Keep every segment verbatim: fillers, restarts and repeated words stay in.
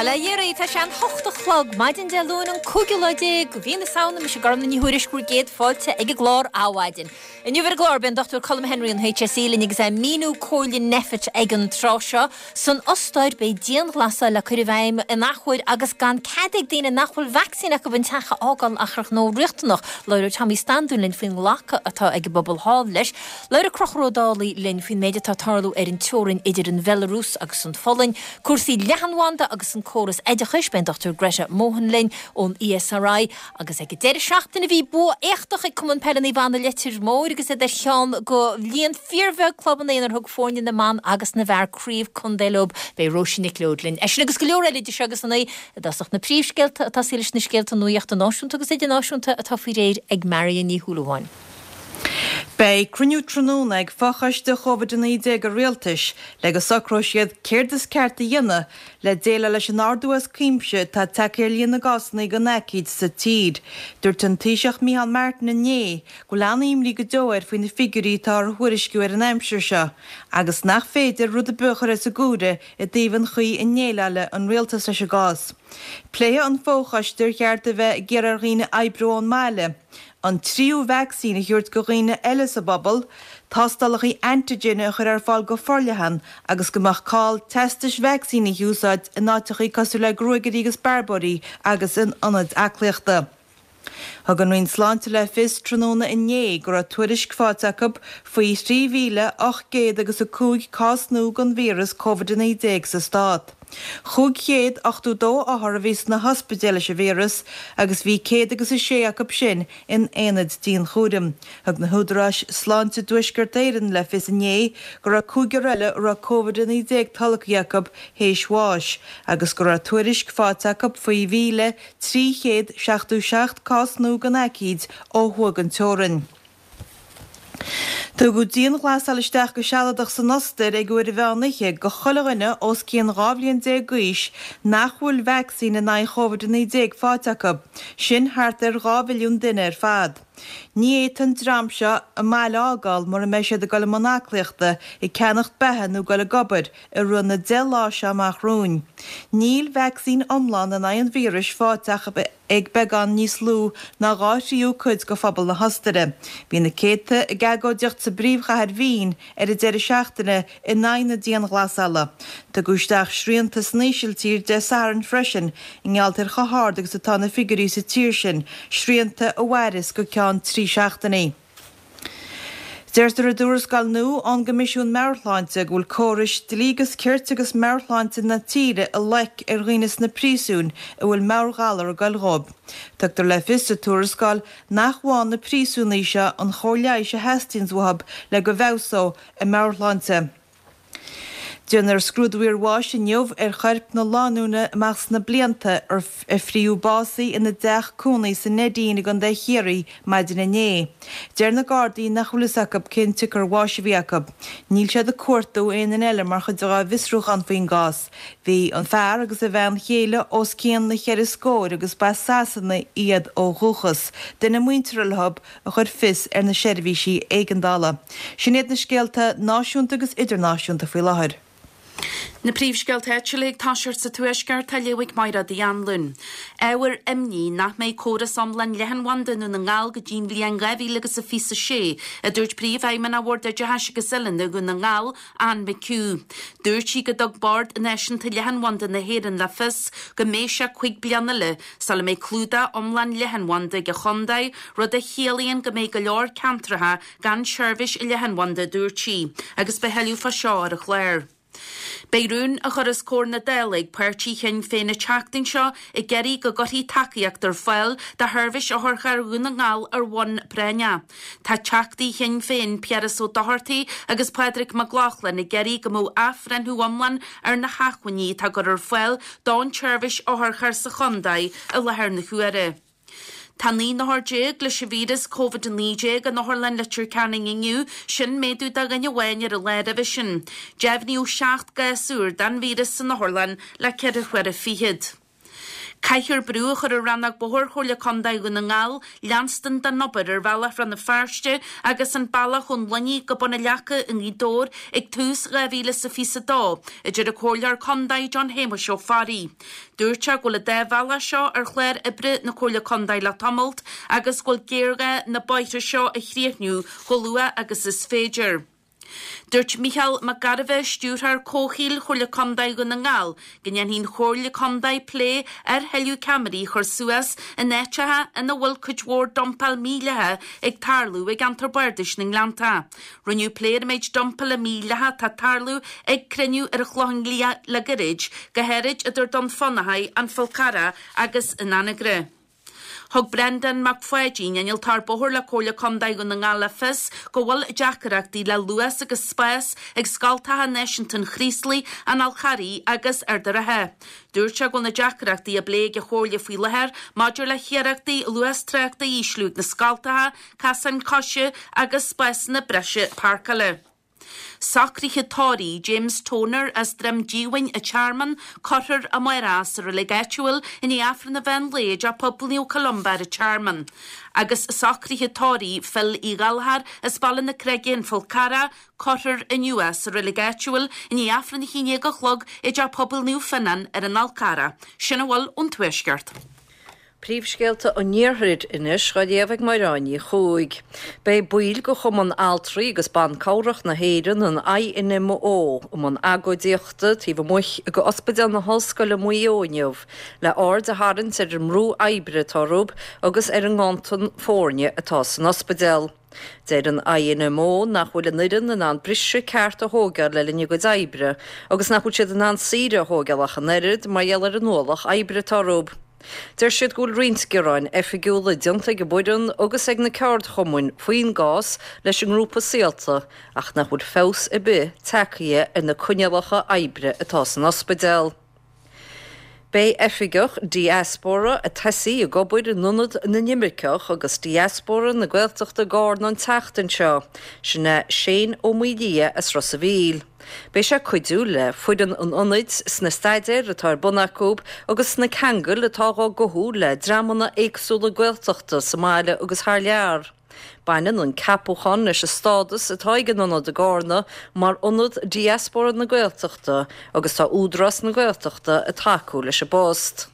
Bail ó Dhia oraibh, tá sé an hocht a chlog, maidin Dé Luain an cúigiú lá déag de mhí na Samhna, mise Gormfhlaith Ní Thuairisg bhur gcéad fáilte ag an gclár Adhmhaidin. Inniu ar an gclár beidh an Dochtúir Colm Henry ón H S E linn agus é ag míniú comhairle Nphet ag an tráth seo. San Ostair beidh dianghlasáil le cur i bhfeidhm in athuair agus gan cead ag daoine nach bhfuil vacsaín acu an teach a fhágáil ach ar ghnó riachtanach. Labhróidh Tommy Standún linn faoin nglacadh atá ag an bpobal thall leis. Labhróidh Conchúr Ó Dálaigh linn faoin méid atá ag tarlú ar an teorainn idir an Bhelarúis agus an Pholainn, cúrsaí leathanbhanda agus an córas oideachais. Beidh an Dochtúir Greta Mohan linn ón E S R I agus ag an deireadh seachtaine bhí bua éachtach ag Cumann Peile Naomh Anna Leitir Móir agus iad ar cheann de líon fíorbheag clubanna inar thug foirne na mban agus na bhfear craobh contae leo. Beidh Róisín Nic Leoid linn. É sin agus go leor eile idir seo agus a naoi. I dtosach na príomhscéalta atá sí leis na scéalta nuachta náisiúnta agus idirnáisiúnta atá faoi réir ag Marion Ní Shúilleabháin. Beidh cruinniú tráthnóna ag fochoiste Covid a naoi déag an rialtais le go socróidh siad céard is ceart a dhéanamh le déileáil leis an ardú as cuimse atá tagtha ar líon na gcásanna den aicíd sa tír. Dúirt an Taoiseach Micheál Martin inné go bhfuil an-imní go deo air faoi na figiúirí atá á dtuairisciú ar an aimsir seo agus nach féidir rud ar bith a chur as an gcomhaireamh i dtaobh an chaoi a ndéileálann an rialtas leis an gcás. Pléifidh an fochoiste ar cheart a bheith ag iarraidh ar dhaoine oibriú ón mbaile, an tríú vacsaín a thabhairt do dhaoine eile sa bpobal, tástálacha antigen a chur ar fáil go forleathan agus go mbeadh call teastais vacsaín a úsáid in áiteacha cosúil le gruagairí agus bearbóirí agus in ionaid aclaíochta. Thug an Roinn Sláinte le fios tráthnóna inné go raibh tuairisc faighte acu faoi trí mhíle ocht gcéad agus a cúig cás nua den víreas Covid a naoi déag sa stát. Cúig chéad ochtó dó othar a bhí sna hospidéil leis an víreas agus bhí céad agus a sé acu sin in aonaid dianchúraim. Thug na húdaráis sláinte i dTuaisceart Éireann le fios inné go raibh cúigear eile a raibh Covid a naoi déag tolgtha acu théis bháis, agus go raibh tuairisc faighte acu faoi mhíle trí chéad seachtó seacht cás nua den aicíd ó thuaidh den teorainn. Tugadh dianghlasáil isteach go sealadach san Ostair ag uair an mheán oíche do chuile dhuine os cionn dhá bhliain déag d'aois nach bhfuil vacsaín in aghaidh Covid a naoi déag faighte acu, sin thart ar dhá mhilliún duine ar fad. Ní fhéadfaidh an dream seo a mbaile a fhágáil mura mbeidh siad ag dul i mbun aclaíochta, ag ceannacht beatha nó ag dul ag obair i rith na deich lá seo amach romhainn. Níl vacsaín iomlán in aghaidh an víris faighte ach ag beagán níos lú ná dhá thríú cuid de phobal na hOstaire. Bhí na céadta ag agóidíocht sa bpríomhchathair Vín ar an deireadh seachtaine in aghaidh na dianghlasála. Tugadh isteach srianta san Ísiltír Dé Sathairn freisin i ngeall ar chomh hard agus atá na figiúirí sa tír sin, srianta a mhairfeas go ceann trí seachtainí. Deirtear i dtuarascáil nua ón gCoimisiún Meabhair-Shláinte go bhfuil córais dlí agus cirt agus meabhairshláinte na tíre i loic ar dhaoine sna príosúin a bhfuil meabhairghalar ag goil dhóibh. Tugtar le fios sa tuarascáil nach bhfaigheann na príosúnaigh seo an chóir leighis a theastaíonn uathu le go bhfeabhsódh a meabhairshláinte. Déanfar scrúdú iarbháis inniu ar chorp na lánúine amach sna blianta a fritheadh básaithe ina dteach cónaí sa Neidín i gContae Chiarraí maidin inné. Deir na Gardaí nach bhfuil fhios acu cén tsiocair bháis a bhí acu. Níl siad ag cuartú aon duine eile mar chuid dá bhfiosrúchán faoin gcás. Bhí an fear agus a bhean chéile os cionn na ceithre scór agus ba as Sasana iad ó dhúchas. Duine muinteartha leo a chuir fios ar na seirbhísí éigeandála. Sin iad na scéalta náisiúnta agus idirnáisiúnta faoi láthair. Na príomhscéalta áitiúla ag toiseacht sa Tuaisceart á léamh ag Máire Uí Anluain. Ábhar imní nach mbeidh córas iomlán leathanbhanda i nDún na nGall go dtí'n bhliain dhá mhíle agus a fiche sé, a dúirt Príomhfheidhmeannach Bhord Oideachais agus Oiliúna Dhún na nGall, Anne McHugh. Dúirt sí go dtug Bord Náisiúnta Leathanbhanda na hÉireann le fios go mbeidh sé cúig bliana eile sula mbeidh clúdach iomlán leathanbhanda ag an chontae, rud a chiallaíonn go mbeidh go leor ceantracha gan seirbhís leathanbhanda, a dúirt sí, agus beidh tuilleadh fá seo ar an chlár. Beidh rún á chur os comhair na Dála ag páirtí Shinn Féin an tseachtain seo ag iarraidh go gcuirfí tacaíocht ar fáil do sheirbhís otharchairr Dhún na nGall ar bhonn práinneach. Tá teachtaí Shinn Féin Piaras Ó Dochartaigh agus Pádraig Mac Lochlainn ag iarraidh go mbeadh athbhreithniú iomlán ar na hacmhainní atá á gcur ar fáil don tseirbhís otharchairr sa chontae i láthair na huaire. Tá naoi n-othar déag leis an víreas Covid a naoi déag in Otharlann Leitir Ceanainn inniu, sin méadú de dhuine amháin ar an lá roimhe sin. Deimhníodh seacht gcás úr den víreas san otharlann le ceithre huaire fichead. Caithfear brú a chur ar Rannóg Bóthair Chomhairle Contae Dhún na nGall leanstan den obair ar bhealach Rann na Feirste agus an bealach ón Luinnigh go Bun na Leaca i nGaoth Dobhair ag tús dhá mhíle is a fiche a dó, a deir an Comhairleoir Contae John Shéamuis Ó Fearraigh. Dúirt sé go bhfuil an dá bhealach seo ar chlár oibre na Comhairle Contae le tamalt agus go bhfuil géarghá na bóithre seo a chríochnú chomh luath agus is féidir. Dúirt Micheál Mac Gairbheith, Stiúrthóir Comhshaoil Chomhairle Contae Dhún na nGall, go ndéanfaidh an Chomhairle Contae plé ar thuilleadh ceamaraí a chur suas in áiteacha ina bhfuil cuid mhór dumpáil mídhleathach ag tarlú i gceantar bardais na nGleanntach. Rinneadh plé ar an méid dumpála mídhleathach atá ag tarlú ag cruinniú ar an Chlochán Liath le gairid, go háirid idir Dún Fionnachaidh, An Fál Carrach agus an Anagaire. Thug Breandán Mac Pháidín, Innealtóir Bóthair le Comhairle Contae Dhún na nGall le fios go bhfuil deacaireachtaí le luas agus spás ag Scoltacha Náisiúnta an Chraoslaigh, an Fháil Charraigh agus Ard an Rátha. Dúirt sé go bhfuil na deacaireachtaí á bplé ag an Chomhairle faoi láthair maidir le hiarrachtaí luas tráchta a ísliú ag na scoltacha, casáin coise agus spásanna breise páirceála. Socruithe tórraimh James Toner as Droim Díomhain an Tearmann, cuirfear amárach sa reilig áitiúil i ndiaidh Aifreann an mheán lae i dTeach Pobail Naomh Columba ar an Tearmann. Agus socruithe tórraimh Phil Uí Ghallchóir as Baile na Creige An Fál Carrach, cuirfear inniu sa reilig áitiúil i ndiaidh Aifreann a haon déag a chlog i dTeach Pobail Naomh Fionnán ar an Fhál Carrach. Sin a bhfuil ón Tuaisceart. Príomhscéalta an Iarthair anois á léamh ag Máire Ní Chuaig. Beidh baill de Chumann Altraí agus Ban Cabhrach na hÉireann, an I N M O, i mbun agóidíochta taobh amuigh de Ospidéal na hOllscoile Maigh Eo inniu, le aird a tharraingt ar an mbrú oibre atá orthu agus ar an nganntan foirne atá san ospidéal. Deir an I N M O nach bhfuil an fhoireann in ann briseadh ceart a thógáil le linn a gcuid oibre, agus nach bhfuil siad in ann saoire a thógáil ach an oiread mar gheall ar an ualach oibre atá orthu. Deir siad go bhfuil roinnt gearáin oifigiúla déanta ag an bhfoireann agus ag na ceardchumainn faoin gcás leis an ngrúpa Saolta ach nach bhfuil feabhas ar bith tagtha ar na coinníollacha oibre atá san ospidéal. Beidh oifigeach diaspóra ag tosú ag obair in ionad na n-imirceach agus diaspóra na Gaeltachta i gCarna an tseachtain seo, sin é Shane Ó Maoildhia as Ros a' Mhíl. Beidh sé ag cuidiú le foireann an ionaid sna staidéir atá ar bun acu agus sna ceangail atá á gcothú le dreamanna éagsúla Gaeltachta sa mbaile agus thar lear. Baineann an ceapachán leis an stádas atá ag an ionad i gCarna mar ionad diaspóra na Gaeltachta agus tá Údarás na Gaeltachta ag tacú leis an bpost.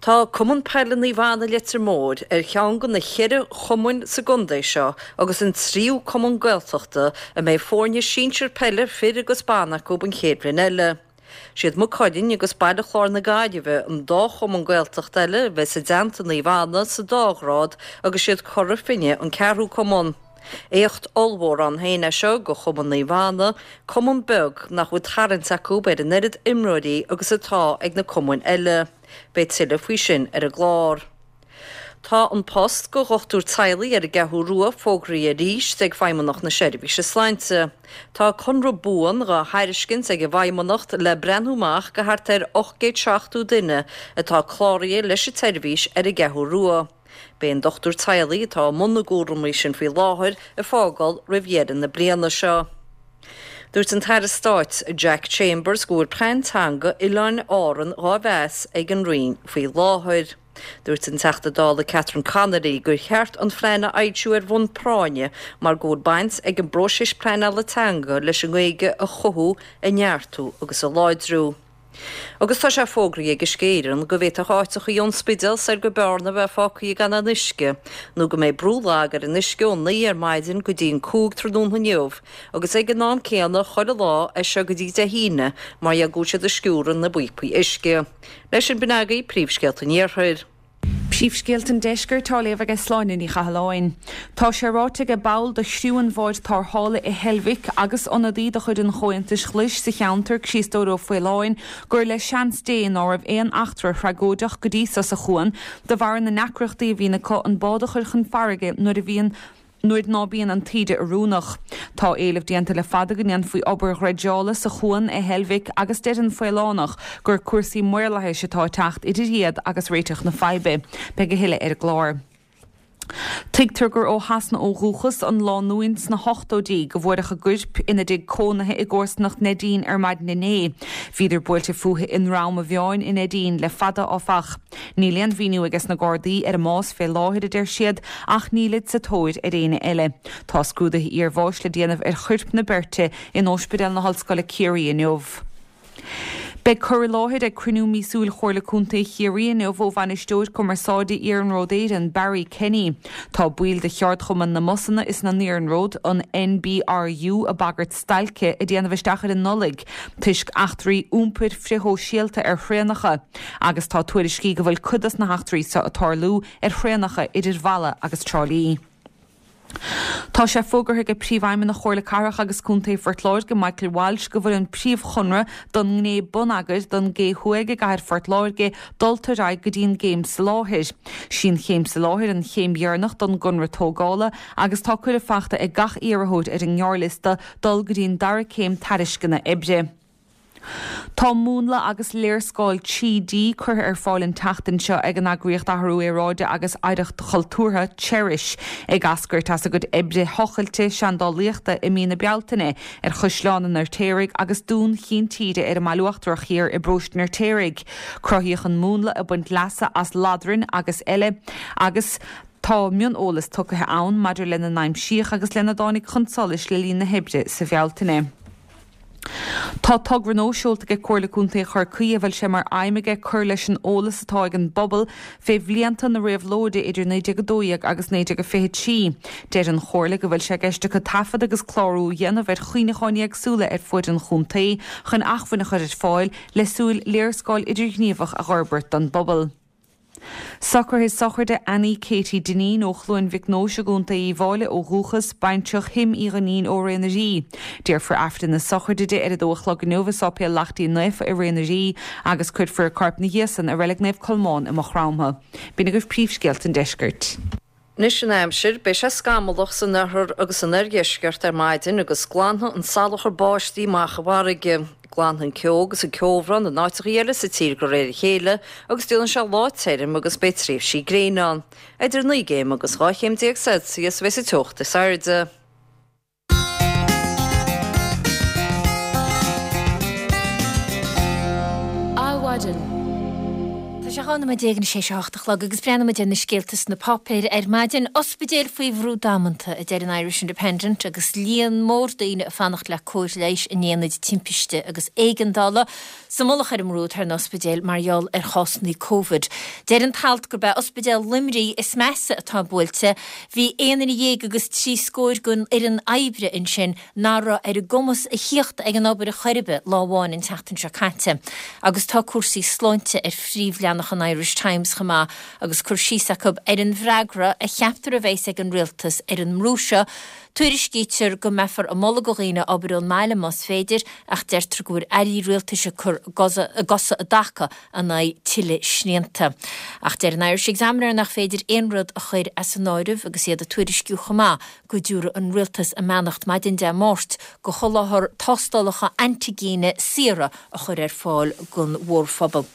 Tá Cumann Peile Naomh Anna Leitir Móir ar cheann de na ceithre chumainn sa gcontae seo agus an tríú cumann Gaeltachta a mbeidh foirne sinsir peile fir agus ban acu an chéad bhliain eile. Siad Maigh Cuilinn agus Baile Chláir na Gaillimhe an dá chumann Gaeltacht eile a bheas i dteannta Naomh Anna sa dá ghrád agus siad Cora Finne an ceathrú cumann. Éacht ollmhór ann féin é seo do chumann Naomh Anna, cumann beag nach bhfuil tarraingt acu ar an oiread imreoirí agus atá ag na cumainn eile. Beidh tuilleadh faoi sin ar an gclár. Tá an post do dhochtúir teaghlaigh ar an gCeathrú Rua fógraithe arís ag Feidhmeannacht na Seirbhíse Sláinte. Tá conradh buan á thairiscint ag an bhFeidhmeannacht le breathnú amach do thart ar ocht gcéad seachtó duine atá cláraithe leis an tseirbhís ar an gCeathrú Rua. Beidh an dochtúir teaghlaigh atá i mbun na gcúraimí sin faoi láthair ag fágáil roimh dheireadh na bliana seo. Dúirt an tAire Stáit Jack Chambers go bhfuil plean teanga Oileáin Árann á mheas ag an Roinn faoi láthair. Dúirt an Teachta Dála Catherine Connolly gur cheart an plean a fhoilsiú ar bhonn práinne mar go bhfuil baint ag an bpróiseas pleanála teanga leis an nGaeilge a chothú, a neartú agus a láidriú. Agus tá sé fógraithe ag Uisce Éireann go bhféadfadh áiteachaí ón Spidéal soir go Bearna bheith fágtha gan aon uisce, nó go mbeidh brú lag ar an uisce ó naoi ar maidin go dtí an cúig tráthnóna inniu, agus ag an am céanna chuile lá as seo go dtí Dé hAoine mar go bhfuil siad ag sciúradh na bpíopaí uisce. Leis sin b'in agaibh príomhscéalta an Iarthair. Príomhscéalta an Deiscirt á léamh ag Sláine Ní Chathalláin. Tá sé ráite ag ball de chriú an bháid tarrthála i Heilbhic agus ionadaí de chuid an Chomhaontais Ghlais sa cheantar Críostóir Ó Faoláin gur le seans Dé ná raibh aon eachtra thragóideach go dtí seo sa chuan de bharr na ndeacrachtaí a bhíonn acu an bád a chur chun farraige nuair a bhíonn nuair ná bíonn an taoide oiriúnach. Tá éileamh déanta le fada go ndéanfaí obair dhreideála sa chuan i Heilbhic agus deir an Faolánach gur cúrsaí maorlathais atá ag teacht idir iad agus réiteach na faidhbe. Beidh a thuilleadh ar an gclár. Tuigtear gur ó Shasana ó dhúchas an lánúin sna hochtóidí go bhfuaireadh a gcoirp ina dtigh cónaithe i gcomharsanacht Neidín ar maidin inné. Bhíodar buailte fúthu i nDrom a' Mheáin i Neidín le fada áfach. Níl aon mhíniú ages na Gardaí ar a mbás fé láthair a deir siad ach nílid sa tóir ar éinne eile. Tá scrúduithe iarbháis le déanamh ar choirp na beirte in Ospidéal na hOllscoile Ciarraí inniu. Beidh cur i láthair ag cruinniú míosúil Chomhairle Contae Chiarraí inniu ó bhainisteoir cumarsáide Iarnród Éireann, Barry Kenny. Tá baill de cheardchumann na mbusanna is na n-iarnród, an NBRU, ag bagairt stailce a dhéanamh isteach ar an Nollaig toisc eachtraí iompair frithshóisialta ar thraenacha agus tá tuairiscí go bhfuil cuid dos na heachtraí seo ag tarlú ar thraenacha idir Mhala agus Trá Lí. Tá sé fógartha ag Príomhfheidhmeannach Chomhairle Cathrach agus Contae Phort Láirge, Michael Walsh, go bhfuil an príomhchonradh don ngné bonneagair don gCé Thuaidh i gcathair Phort Láirge dulta ar aghaidh go dtí an gcéim soláthair. Sí an chéim soláthair an chéim dheireanach don gconradh tógála agus tá cuireadh faighte ag gach iarrthóir ar an ngearrliosta dul go dtí an dara céim tairisceana oibre. Tá múnla agus léarscáil trí D curtha ar fáil an tseachtain seo ag an eagraíocht Athrú Aeráide agus Oidhreacht Chultúrtha, Cherish, ag eascairt as a gcuid oibre thochailte seandálaíochta i mí na Bealtaine ar Chaisleán an Fheirtéaraigh agus Dún Chinn Tíre ar an mBaile Uachtarach Thiar i bparóiste an Fheirtéaraigh. Cruthaíodh an múnla ag baint leasa as ladrainn agus eile agus tá mioneolas tugtha ann maidir lena n-aimsíodh agus lena dtáinig chun solais le linn na hoibre sa Bhealtaine. Tá togra nua seolta ag Comhairle Contae Chorcaí a bhfuil sé mar aidhm aige cur leis an eolas atá ag an bpobal fé bhlianta na réabhlóide idir naoi déag a dó dhéag agus naoi déag a fiche trí. Deir an Chomhairle go bhfuil sé i gceist acu taifead agus clárú a dhéanamh ar chuimhneacháin éagsúla ar fuaid an chontae chun acmhainn a chur ar fáil le súil léarscáil idirghníomhach a dh'fhorbairt don bpobal. Socruithe sochraide Annie Katie Dineen ó Chluain Mhic Nóis i gContae Uíbh Fhailí ó dhúchas, baintreach Thim Uí Dhuinnín ó Ré na Rí. Déarfar Aifreann na sochraide di ar a dó a chlog inniu i Sáipéal Lachtaín Naofa i Ré na Rí agus cuirfear a corp ina dhiaidh san i Reilig Naomh Colmán i Maigh Chromtha. B'in agaibh príomhscéalta an deiscirt. Anois an aimsir, beidh sé scamallach san oirthear agus san oirdheisceart ar maidin agus glanfaidh an salachar báistí amach i bhfarraige. Glanfaidh an ceo agus an ceobhrán in áiteacha eile sa tír de réir a chéile agus déanfaidh sé lá tirim agus beidh tréimhsí gréine ann. Idir naoi gcéim agus dhá chéim déag Celsius a bheidh sa teocht is airde. Adhmhaidin. Tá sé dhá nóiméad déag anois théis a hocht a chlog agus breathnóidh muid ar na scéalta sna páipéir ar maidin. Ospidéil faoi bhrú damanta, a deir an Irish Independent, agus líon mór daoine ag fanacht le cóir leighis in aonaid timpiste agus éigeandála. Sa mullach ar an mbrú atá ar na hospidéil mar gheall ar chásanna Covid. Deir an t-alt gurb é Ospidéal Luimnigh is measa atá buailte. Bhí aon duine dhéag agus trí scór den fhoireann oibre ansin nach raibh ar a gcumas a thíocht ag an obair ar chor ar bith lá amháin an tseachtain seo caite. Agus tá cúrsaí sláinte ar phríomhleathanach an Irish Times chomh maith agus cur síos acu ar an bhfreagra a cheaptar a bheas ag an rialtas ar an mbrú seo. Tuairiscítear go mbeifear ag moladh do dhaoine obair ón mbaile más féidir ach deirtear go bhfuil airí rialtais ag cur a gcosa i dtaca in aghaidh tuilleadh srianta. Ach deir an Irish Examiner nach féidir aon rud a chur as an áireamh agus iad ag tuairisciú chomh maith go dtabharfaidh an rialtas a mbeannacht maidin Dé Máirt do sholáthar tástálacha antaigine saora a chur ar fáil don mhórphobal.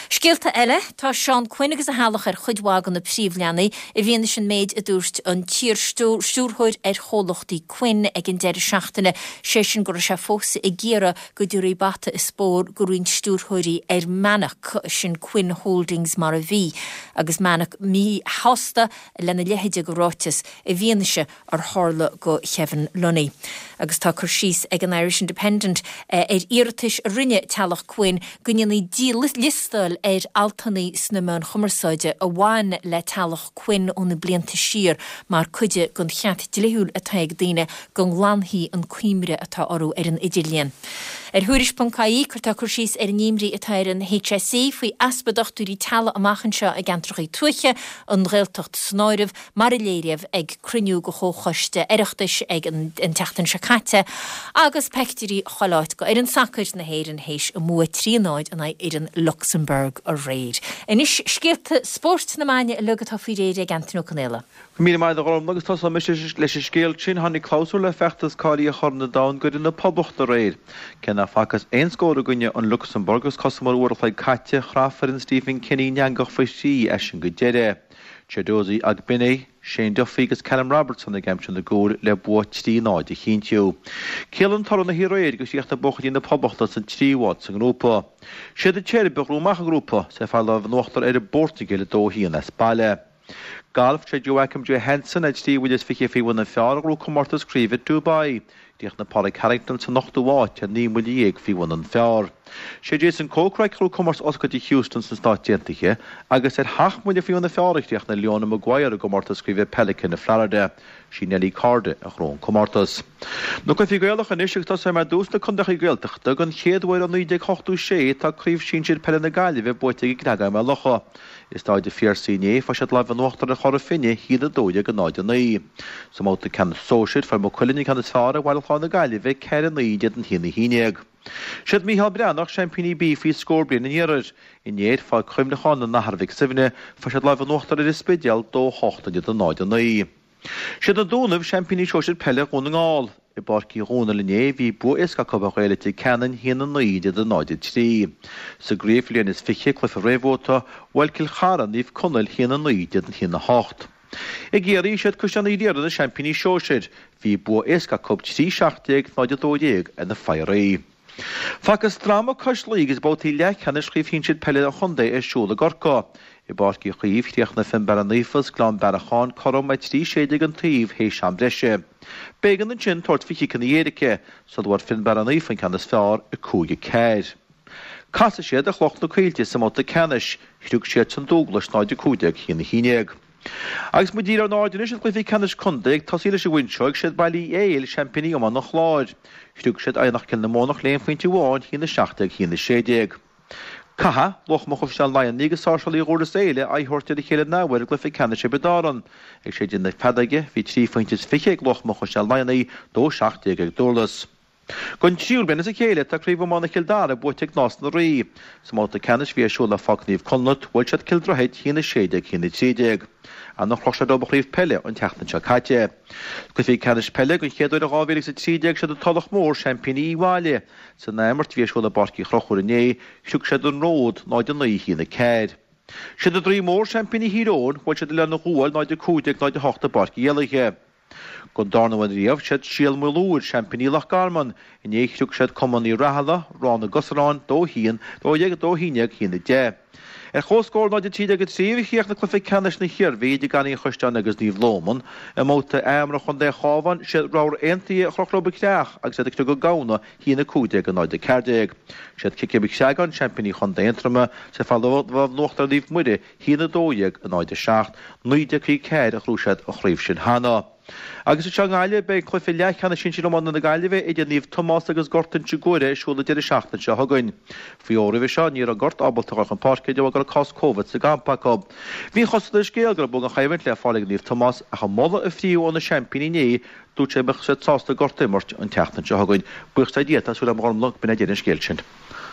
Scéalta eile, tá Seán Quinn agus a theaghlach ar chuid mhaith de na príomhleathanaigh i bhfianaise an méid a dúirt an t-iar-stiúrthóir ar chomhlachtaí Quinn ag an deireadh seachtaine, sé sin go raibh sé fós ag iarraidh go dtabharfaí bata is bóthar do roinnt stiúrthóirí ar Manac, sin Quinn Holdings mar a bhí, agus Manac míshásta lena leithéid de ráiteas i bhfianaise ar tharla do Kevin Lunny. Agus tá cur síos ag an Irish Independent ar iarratais a rinne teaghlach Quinn go ndéanfaí díliostáil ar altanna sna meáin chumarsáide a bhain le teaghlach Quinn ó na blianta siar mar cuid den cheart dlíthiúil atá ag daoine go nglanfaí an cuimhne atá orthu ar an idirlíon. Ar Thuairisc ponc ie cuirtear cur síos ar an imní atá ar an HSE faoi easpa dochtúirí teaghlaigh amach anseo i gceantracha tuaithe, an Ghaeltacht san áireamh, mar a léiríodh ag cruinniú de Chomhchoiste Oireachtais ag an tseachtain seo caite, agus peictiúirí chuile áit de fhoireann sacair na hÉireann théis a mbua trí a náid in aghaidh fhoireann Lucsamburg aréir. Anois scéalta spóirt na maidine uilig atá faoi réir ag Antaine Ó Conaola. Go míle maith agat a Ghormfhlaith agus tosóidh mise leis an scéal sin. Tháinig clabhsúr le feachtas cáilithe Chorn an Domhain d'fhoireann na Poblachta aréir. Cé nach bhfacthas aon scór i gcoinne an Lucsamburg agus cosamar uair a chloig caite, chraith foireann Stephen Kenny an eangach faoi thrí as sin go deireadh. Chiedozie Ogbene, Shane Duffy agus Callum Robertson ag aimsiú na gcúl le bua trí náid a chinntiú. Ciallaíonn toradh na haréir go chríochnaigh buachaillí na Poblachta san tríú háit sa ngrúpa. Siad an tSeirbia a ghnóthaigh amach an grúpa, is ag fáil lámh in uachtar ar an bPortaingéil a dó a haon as baile. Galf, Sé Joachim Johansson ar trí bhuille is fiche faoi bhun an phar a ghnóthaigh comórtas craoibhe Dubai. Chríochnaigh Pádraig Harrington san ochtú háit ar naoi mbuille dhéag faoi bhun an phar. Sé Jason Kokrak a ghnóthaigh comórtas oscailte Houston sna Stáit Aontaithe agus ar sheacht mbuille faoi bhun an phar a chríochnaigh Leona Maguire i gcomórtas craoibhe Pelican i Florida. Sí Nelly Korda a ghnóthaigh an comórtas. Na cluichí Gaelacha anois agus tosóidh mé ar dtús na contaetha Gaeltachta don chéad uair ó naoi déag ochtó sé tá Craobh Shinsir Peile na Gaillimhe buaite ag an gCreagán Maigh Locha. I Staid an Phiarsaigh inné fuair siad lámh in uachtar ar Chora Finne, a haon a dó dhéag a náid a naoi. Sa mbabhta ceannais sóisir fuair Maigh Cuilinn an ceann is fearr ar Bhaile Chláir na Gaillimhe, ceithre a naoi in éadan a haon a haon déag. Siad Mícheál Breathnach seaimpíní B faoi scór bliain an iarthair. Inné ar Pháirc Chuimhneacháin an Athar Mhic Suibhne fuair siad lámh in uachtar ar an Spidéal, dó a hocht in éadan náid a naoi. Siad na Dúnaibh seaimpíní sóisir peile Dhún na nGall. I bPáirc Uí Dhónaill inné bhí bua éasca acu ar Ghaeil Leitir Ceanainn, a haon a naoi in éadan náid a trí. Sa gcraobh bliain is fiche, cluiche réamhbhabhta, bhuail Cill Chartha Naomh Conaill, a haon a naoi in éadan a haon a hocht. I gCiarraí, siad Caisleán Uí Riada na seaimpíní sóisir. Bhí bua éasca acu trí seacht déag, náid a dó dhéag ar na Fothraí. Facthas dráma cois Laoi agus babhtaí leathcheannais Chraobh Shinsir Peile an Chontae ar siúl i gCorcaigh. I bPáirc Uí Chaoimh, chríochnaigh Fionnbarra Naofa is Gleann Bearacháin cothrom ar trí sé déag an taobh théis am breise. B'éigean ansin tabhairt faoi chiceanna éirice, sula bhfuair Fionnbarra Naofa an ceann is fearr, a cúig a ceathair. Casfaidh siad ar Chloich na Coillte sa mbabhta ceannais, shroich siadsan Dúghlais náid a cúig déag a haon a haon déag. Agus muid ag díriú ár n-aird anois ar chluichí ceannais contae, ag tosaí leis an bhFuinseog, siad Baile Uí Éil seaimpíní iomána an Chláir. Shroich siad Eidhneach-Cill na Mónach le haon phointe amháin, a haon a seacht déag, a haon a sé déag. Caithfidh Luachma Chaisleán Laighean agus Sáirséal Uí Dhúrlas Éile aghaidh a thabhairt ar a chéile an athuair i gcluiche ceannais Thiobraid Árann. Ag séideadh na feadóige, bhí trí phointe is fiche ag Luachma Chaisleán Laighean, dó seacht déag ag Dúrlas. Don tríú bliain as a chéile tá Craobh Iomána Chill Dara buaite ag Nás na Rí. Sa mbabhta ceannais a bhí ar siúl ar Pháirc Naomh Conleth, bhuail siad Cill Droichid, a haon a sé déag, a haon a trí déag. Anna chroch siad leo an chraobh peile an tseachtain seo caite. Cluichí ceannais peile don chéad uair ó dhá mhíle agus a trí déag siad an Tulach Mór, seaimpíní Uíbh Fhailí. San athimirt a bhí ar siúl i bPáirc Uí Chonchúir inné, shroich siad an Ród, náid a naoi, a haon a ceathair. Siad an Droim Mór seaimpíní Thír Eoghain, bhuail siad Oileán an Ghuail, náid a cúig déag, náid a hocht i bPáirc Uí Éallaithe. Don darna huair riamh, siad Síol Maol Úir, seaimpíní Loch Garman. Inné shroich siad Cumann Uí Rathaille, Ráth na gCosarán, dó a haon, dó dhéag, dó a haon déag, a haon a deich. Ar chomhscór náid a trí déag a trí a chríochnaigh cluiche ceannais na hIarmhí idir Garraí an Chaisleáin agus Naomh Lóman. I mbabhta achomair Chontae an Chabháin, siad Ramhar Aontaithe a chroch leo an Creach agus iad ag criogadh Gamhna, a haon a cúig déag a náid a ceathair déag. Siad Cic Mhic Chreagáin, seaimpíní Chontae Aontroma, is ag fáil lámh in uachtar ar Naomh Muire, a haon a dó dhéag a náid a seacht, naoi déag caoga ceathair a ghnóthaigh siad an chraobh sin cheana. Agus anseo i nGaillimh, beidh cluiche leathcheannais sinsir iomána na Gaillimhe idir Naomh Tomás agus Gort Inse Guaire ar siúl an deireadh seachtaine seo chugainn. Faoi fhómhar roimhe seo, ní raibh Gort ábalta a dhul chun páirce de bharr go raibh cás Covid sa gcampa acu. Bhí an chosúil ar an scéal go raibh bua an choimhlint le fáil ag Naomh Tomás ach an moladh a frítheadh ó na seaimpíní inné, dúirt sé go mbeadh siad sásta Gort a imirt an tseachtain seo chugainn. Buíochas le Dia, tá súil agam a Ghormfhlaith, go b'in é deireadh an scéil sin.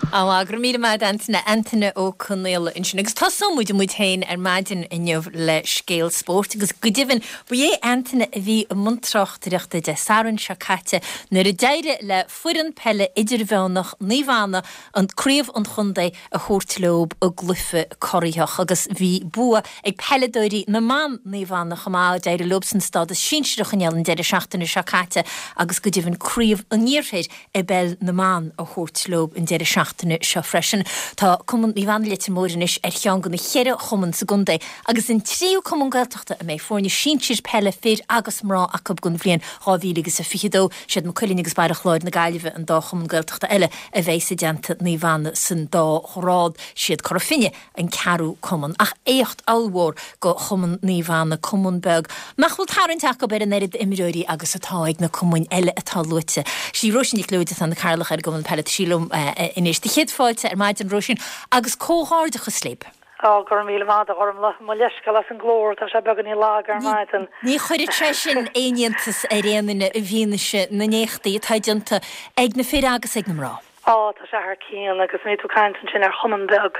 Á, go raibh míle maith agat Antaine, Antaine Ó Conaola ansin. Agus tosóidh muid muid féin ar maidin inniu le scéal spóirt agus go deimhin ba é Antaine a bhí i mbun tráchtaireachta Dé Sathairn seo caite nuair a d'éirigh le foireann peile idirmheánach Naomh Anna an craobh an chontae a thabhairt leo i gcluiche corraitheach agus bhí bua ag peileadóirí na mban Naomh Anna chomh maith, d'éirigh leobsan stádas sinsear a choinneáil an deireadh seachtaine seo caite agus go deimhin craobh an iarthair i bpeil na mban a thabhairt leo an deireadh seachtaine seo freisin. Tá Cumann Naomh Anna Leitir Móir anois ar cheann de na ceithre chumann sa gcontae agus an tríú cumann Gaeltachta a mbeidh foirne sinsir peile fir agus mná acu don bhliain dhá mhíle agus a fiche dó. Siad Maigh Cuilinn agus Baile Chláir na Gaillimhe an dá chumann Gaeltachta eile a bheidh i dteannta Naomh Anna san dá ghrád. Siad Cora Finne an ceathrú cumann. Ach éacht ollmhór go Chumann Naomh Anna, cumann beag nach bhfuil tarraingt acu ar an oiread imreoirí agus atá ag na cumainn eile atá luaite. Sí Róisín Nic Leoid atá ina cathaoirleach ar an gcumann peile. Tá sí liom anois. Do chéad fáilte ar maidin, Róisín, agus comhghairdeachas libh. Á, go raibh míle maith agat, a Ghormfhlaith. Mo leithscéal as an nglór, tá sé beagáinín lag ar maidin. Ní chuirfeadh sé sin aon iontas ar aon duine i bhfianaise na n-éachtaí atá déanta ag na fir agus ag na mná. Á, tá sé thar cionn agus nuair tú ag caint ansin ar chumann beag,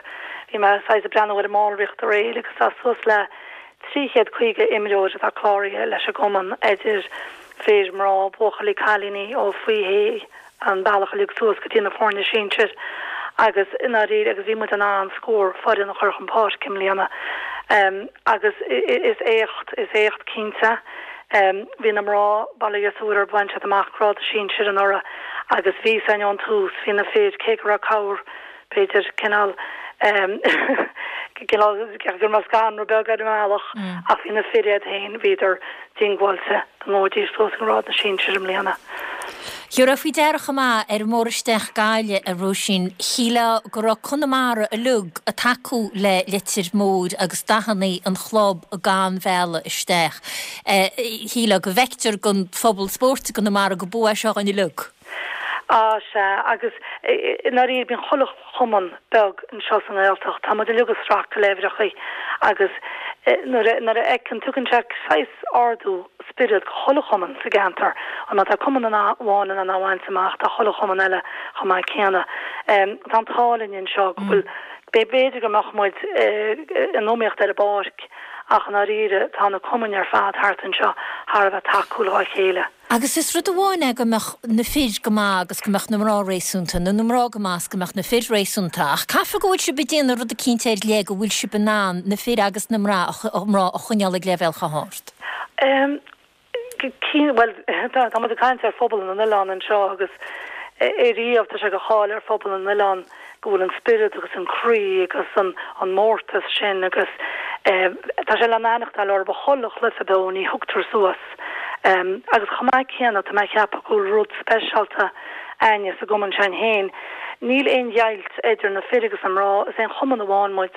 bhí mé saghas ag breathnú ar an mballraíocht aréir agus tá suas le trí chéad caoga imreoir atá cláraithe leis an gcumann, idir fir, mná, buachaillí, cailíní ó faoi shé an bealach uilig suas go dtí na foirne sinsir agus i ndáiríre agus bhí muid in ann scór foireann a chur chun páirce i mbliana. Agus is éacht, is éacht cinnte. Bhí na mná, bail ó Dhia orthu, bhain siad amach grád sinsir anuraidh agus bhí a fhios againn ón tús, bhí na fir, cé go raibh cabhair, b'fhéidir, cineál, cineál, go raibh scanradh beag ar an mbealach ach bhí na fir iad féin, bhíodar diongbháilte go ngabhfaidís suas i ngrád na sinsir i mbliana. Thiúrfá faoi deara chomh maith ar an mbóthar isteach Gaillimh, a Róisín, shílfeá go raibh Conamara uilig ag tacú le Leitir Móir agus dathannaí an chlub gan mhealladh isteach. Shílfeá go bhfeictear don phobal spóirt i gConamara go bua é seo dhúinn uilig. Á, sea, agus i ndáiríre bíonn chuile chumann beag anseo sa nGaeltacht, tá muid uilig ag sracadh le huimhreachaí agus nuair a, nuair a fheiceann, tugann sé saghas ardú spioraid go chuile chumann sa gceantar, má tá cumann amháin in ann é a bhaint amach, tá chuile chumann eile chomh maith céanna. Tá an t-ádh linn anseo go bhfuil, b'fhéidir go mbeadh muid in iomaíocht ar an bpáirc ach i ndáiríre tá na cumainn ar fad thart anseo thar a bheith tacúil dhá chéile. Agus is rud amháin é go mbeadh na fir go maith agus go mbeadh na mná réasúnta, nó na mná go maith is go mbeadh na fir réasúnta, ach caithfidh go bhfuil sibh ag déanamh rud eicínt ar leith go bhfuil sibh in ann na fir agus na mná a choinneáil ag leibhéal chomh hard. Bhuel, tá muid ag caint ar phobal na n-oileán anseo agus ariamh tá sé de cháil ar phobal na n-oileán go bhfuil an spiorad agus an croí agus an an mórtas sin agus tá sé le n-aithneachtáil orthu chuile chluiche beo, ní thugtar suas. Agus chomh maith céanna tá mé ag ceapadh go bhfuil rud speisialta a'inne sa gcumann sin féin, níl aon dheighilt idir na fir agus na mná, is aon chumann amháin muid.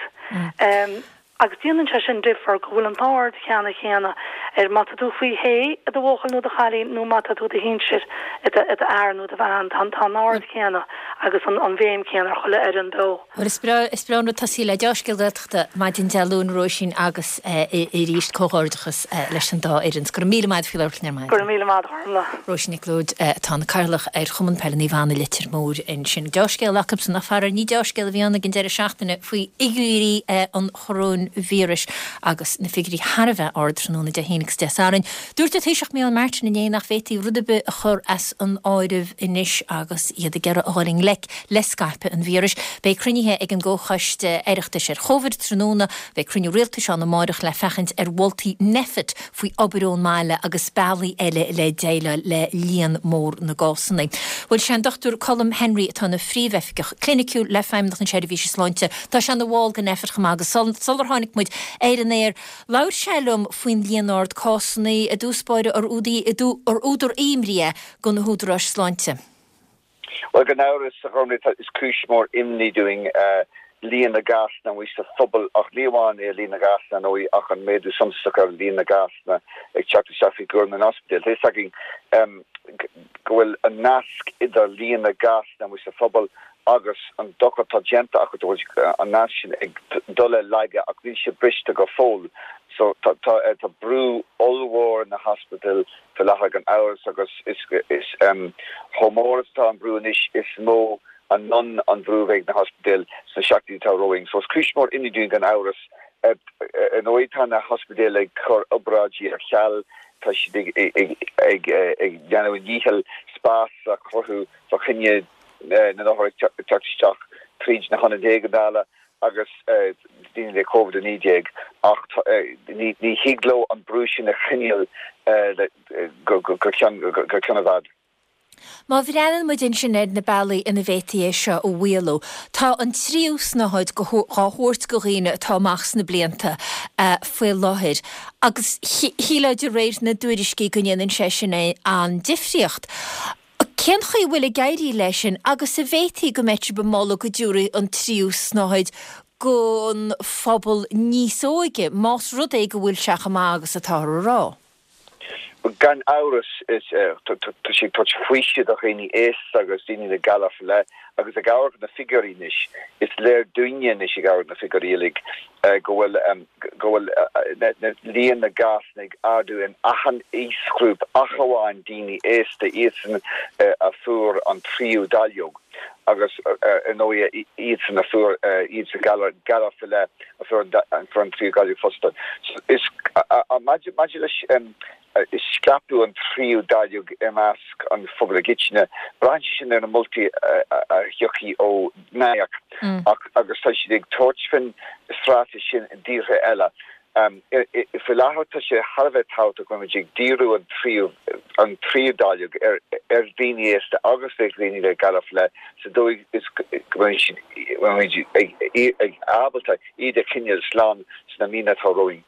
Agus déanann sé sin difear go bhfuil an t-aird cheanna chéanna ar má tá tú faoi shé i do bhuachaill nó do chailín nó má tá tú i do shinsir, i do fhear nó do bhean, tá an aird chéanna agus an bhéim chéanna ar chuile fhoireann beo. Bhuel, is breá, is breá an rud tosaí le deá-scéal Gaeltachta maidin Dé Luain, a Róisín, agus arís comhghairdeachas leis an dá fhoireann. Go raibh míle maith agat faoi labhairt linn ar maidin. Go raibh míle maith agat, a Ghormfhlaith. Róisín Nic Leoid, atá ina cathaoirleach ar Chumann Peile Naomh Anna Leitir Móir ansin. Deá-scéal acusan ach faraor ní deá-scéal a bhí ann ag an deireadh seachtaine faoi fhigiúirí an choróinvíris agus na figiúirí thar a bheith ard tráthnóna Dé hAoine agus Dé Sathairn. Dúirt an Taoiseach Micheál Martin inné nach bhféadfaí rud ar bith a chur as an áireamh anois agus iad ag iarraidh a dhul i ngleic le scaipeadh an víris. Beidh cruinnithe ag an gComhchoiste Oireachtais ar Chovid tráthnóna, beidh cruinniú rialtais ann amárach le féachaint ar mholtaí Nphet faoi obair ón mbaile agus bealaí eile le déileáil le líon mór na gcásanna. Bhuel, sé an Dochtúir Colm Henry atá ina Phríomhoifigeach Cliniciúil le Feidhmeannacht na Seirbhíse Sláinte. Tá sé ina bhall de Nphet chomh maith agus sular tháinig muid ar an aer, labhair sé liom faoin líon ard cásanna i dtús báire ar údar imní é do na húdaráis sláinte. Bhuel, gan amhras, a Ghormfhlaith, is cúis mhór imní dúinn líon na gcásanna amuigh sa phobal, ach ní amháin é líon na gcásanna, ar ndóigh, ach an méadú suntasach ar líon na gcásanna ag teacht isteach faoi chúram na n-ospidéal. Tá fhios againn go bhfuil an nasc idir líon na gcásanna amuigh sa phobal agus an dochar atá déanta acu, go bhfuil an nasc sin ag dul i laige ach níl sé briste go fóill. So tá tá brú ollmhór ar na hospidéil faoi láthair gan amhras agus is is chomh mór is atá an brú anois is mó anonn an brú a bheidh ag na hospidéil sna seachtainí atá romhainn. So is cúis mhór imní dúinn gan amhras. Ar ndóigh tá na hospidéil ag cur obráidí ar ceal, tá siad ag ag ag ag déanamh a ndícheall spás a chruthú fá choinne na n-othar ag teacht isteach tríd na hionaid éigeandála agus daoine le Covid a naoi déag ach ní thig leo an brú sin a choinneáil go ceann i bhfad. Má bhreathnaíonn muid ansin ar na bealaí ina bhféadfaí é seo a mhaolú, tá an tríú snáthaid dhá thabhairt go dhaoine atá amach sna blianta faoi láthair agus shílfeá de réir na dtuairiscí go ndéanann sé sin an-difríocht. Cén chaoi a bhfuil ag éirí leis sin agus an bhféadfaí go mbeadh sibh ag moladh go dtabharfaí an tríú snáthaid don phobal níos óige, más rud é go bhfuil sé chomh maith agus atáthar a rá? Gan amhras, tá sé ag tabhairt faoiseamh do dhaoine aosta agus daoine le galar faoi leith agus ag amharc ar na figiúirí anois, is léir dúinne anois ag amharc ar na figiúirí uilig go bhfuil go bhfuil líon na gcásanna ag ardú in achan aoisghrúpa ach amháin daoine aosta, iadsan a fuair an tríú dáileog. agus ar ndóigh iadsan a fuair iadsan galar galar faoi leith a fuair an fuair an tríú dáileog fosta. So is maidir maidir leis scaipeadh an tríú dáileog i measc an phobail i gcoitinne, braitheann sé sin ar na moltaí a thiocfaidh ó NIAC ach agus tá siad ag tabhairt faoin straitéis sin i dtíortha eile. Faoi láthair tá sé thar a bheith tábhachtach go mbeimid ag díriú an tríú an tríú dáileog ar ar dhaoine aosta agus ar dhaoine le galar faoi leith sa dóigh is go mbeidh siad mbeimid ag ag ábalta iad a choinneáil slán sna míonna atá romhainn.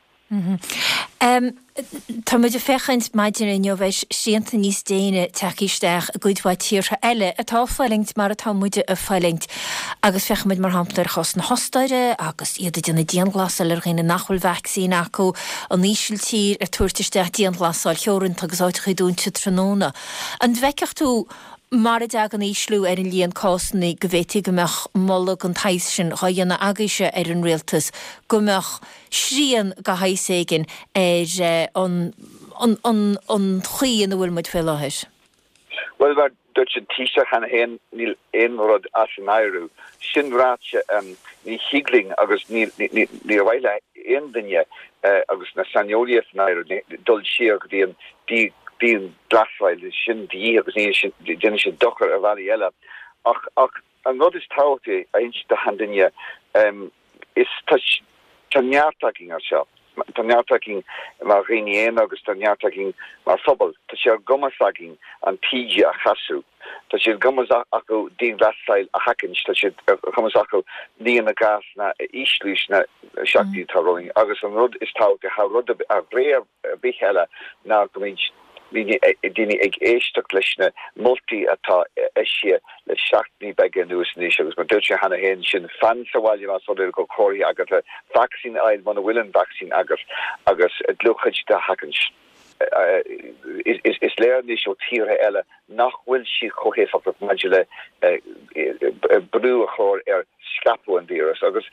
Tá muid ag féachaint maidin inniu ar shrianta níos déine tagtha isteach i gcuid mhaith tíortha eile atá ag fulaingt mar atá muide ag fulaingt agus féachaimid mar shampla ar chás na hOstaire agus iad ag déanamh dianghlasáil ar dhaoine nach bhfuil vacsaín acu, an Ísiltír ag tabhairt isteach dianghlasáil theoranta agus áiteachaí dúnta tráthnóna. An bhfeicfeadh tú mar a dtagann ísliú ar an líon cásanna go bhféadfaí go mbeadh moladh den tsaghas sin dhá dhéanamh agaibhse ar an rialtas, go mbeadh srian de shaghas éigin ar an an an an chaoi ina bhfuil muid faoi láthair? Bhuel, mar dúirt an Taoiseach cheana féin, níl aon rud as an áireamh. Sin ráite, ní thig linn agus ní níor mhaith le aon duine agus na saineolaithe san áireamh dul siar go dtí an dianghlasáil, sin de dhíth agus ní déanann sé dochar ar bhealaí eile. Ach ach an rud is tábhachtaí a inse do achan duine is tá tá neart againn anseo. Tá neart againn mar dhaoine aonair agus tá neart againn mar phobal. Tá sé ar gcumas againn an taoide a chasadh. Tá sé ar gcumas acu dianghlasáil a sheachaint, tá sé ar chumas acu líon na gcásanna a ísliú sna seachtainí atá romhainn. Agus an rud is tábhachtaí thar rud ar bith eile ná go mbeidh daoine ag éisteacht leis na moltaí atá eisithe le seachtainí beaga anuas anois agus mar dúirt sé cheana féin sin fan sa bhaile más rud é go bhfuil comharthaí agat, vacsaín a fháil muna bhfuil an vacsaín agat agus dlúthchuid a sheachaint. Is léir anois ó tíortha eile nach bhfuil siad chomh héifeachtach maidir le brú a chur ar scaipeadh an víreas agus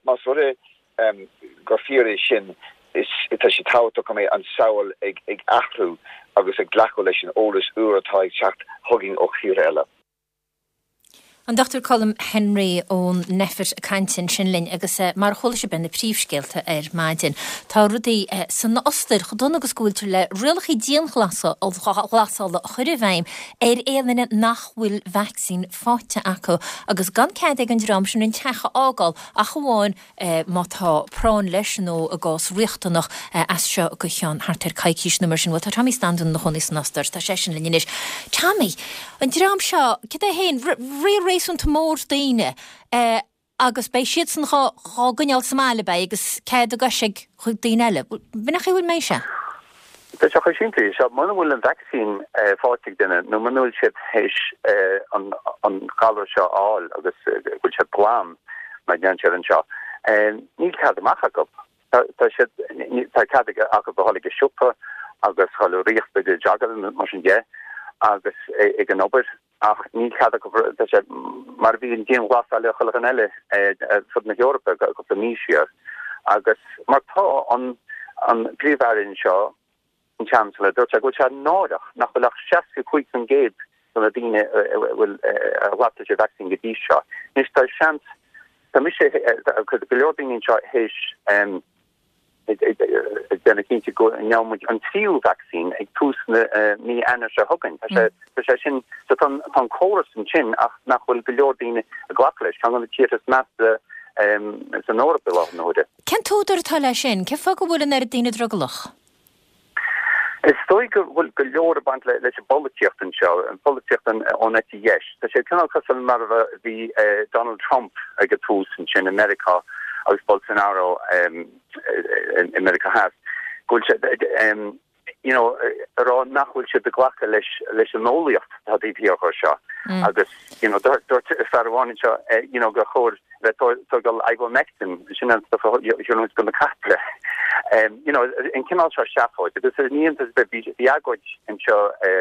más rud é gur fíor é sin, is tá sé tábhachtach go mbeidh an saol ag ag athrú agus ag glacadh leis an eolas úr atá ag teacht chugainn ó thíortha eile. An Dochtúir Colm Henry ón Nphet ag caint ansin linn agus mar a chuala sibh na príomhscéalta ar maidin. Tá rudaí san Ostair chomh dona agus go bhfuiltear le rialacha dianghlasála a chur i bhfeidhm ar aon duine nach bhfuil vacsaín faighte acu agus gan cead ag an dream sin an teach a fhágáil ach amháin má tá práinn leis nó i gcás riachtanach as seo go ceann thart ar coicís nó mar sin. Bhuel tá Tommy Standún ina chónaí san Ostair, tá seisean linn anois. Tommy, an dream seo, cad é féin, riar réasúnta mór daoine agus beidh siadsan dhá gcoinneáil sa mbaile, beidh, agus cead a gcois ag daoine eile. B'in an chaoi a bhfuil mé sé? Tá sé chomh simplí seo, muna bhfuil an vacsaín faighte ag duine nó muna bhfuil siad théis an an galar seo a fháil agus go bhfuil siad glan, mar a deireann siad anseo, níl cead amach acu. Tá siad, tá cead acu a dhul ag an siopa agus dhul ag rith, ag jogáil mar sin de agus ag an obair ach níl cead acu, tá sé mar a bhí an dianghlasáil ar chuile dhuine eile ar fud na hEorpa cúpla mí siar agus mar tá an an príomh-aire anseo, an Chancellor, dúirt sé go bhfuil sé náireach nach bhfuil ach seasca cúig faoin gcéad de na daoine a bhfuil a ghlac leis an vacsaín go dtí seo. Anois tá seans, tá mise, go leor daoine anseo théis ag déanamh cinnte go ngeobhaidh muid an tríú vacsaín ag tús na mí Eanáir seo chugainn. Tá sé, tá sé sin, so tá tá an córas ansin ach nach bhfuil go leor daoine ag glacadh leis, ceann de na tíortha is measa san Eoraip i láthair na huaire. Cén t-údar atá leis sin? Cén fáth go bhfuil an oiread daoine drogallach? Is dóigh go bhfuil go leor ag baint leis an bpolaitíocht anseo, an pholaitíocht ón eite dheis. Tá sé cineál cosúil mar a bhí Donald Trump ag an tús ansin i Meiriceá agus Bolsonaro i Meiriceá Theas, go bhfuil sé, you know, a rá nach bhfuil siad ag glacadh leis leis an eolaíocht atá taobh thiar de seo. Agus, you know, dúirt fear amháin anseo, you know, gur chóir bheith tógáil ivermectin, sin an stuff a thugann do na caiple. You know, an cineál seo seafóid. Agus ní iontas ar bith, bhí agóid anseo i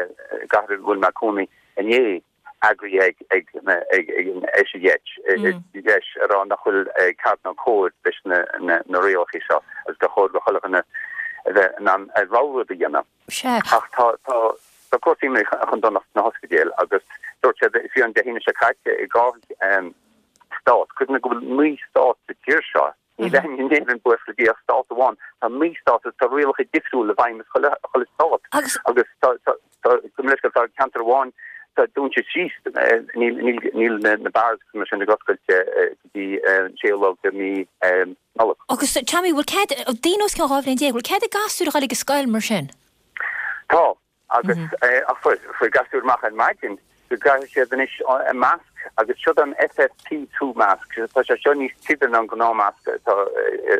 gcathair a bhfuil mé ag cónaí inné, eagraithe ag ag ag ag an eite dheis, dheis a rá nach bhfuil ceart ná cóir leis na na na rialacha seo agus gur chóir do chuile dhuine a bheith in ann a rogha rud a dhéanamh. Sea. Ach tá tá tá cúrsaí imithe chun donach sna hospidéil agus dúirt siad fiú an Dé hAoine hAoine seo caite i dhá stát. Cuimhnigh go bhfuil naoi stát sa tír seo. Níl aon in Éirinn buíochas le Dia ach stát amháin. Tá naoi stát agus tá rialacha difriúla i bhfeidhm i chuile chuile stát. Agus Agus tá tá tá go minic tá ceantar amháin tá dúnta síos níl níl níl na na bars mar sin ag oscailt go dtí an séú lá de mí Nollag. Agus Tommy, bhfuil cead daoine os cionn dhá bhliain déag, bhfuil cead ag gasúir a dhul ag an scoil mar sin? Tá agus ach fuair fuair gasúir amach ar maidin go gcaithfidh siad anois an masc agus seo an F F P two mask, tá sé seo níos tibhe ná an gnáthmasc atá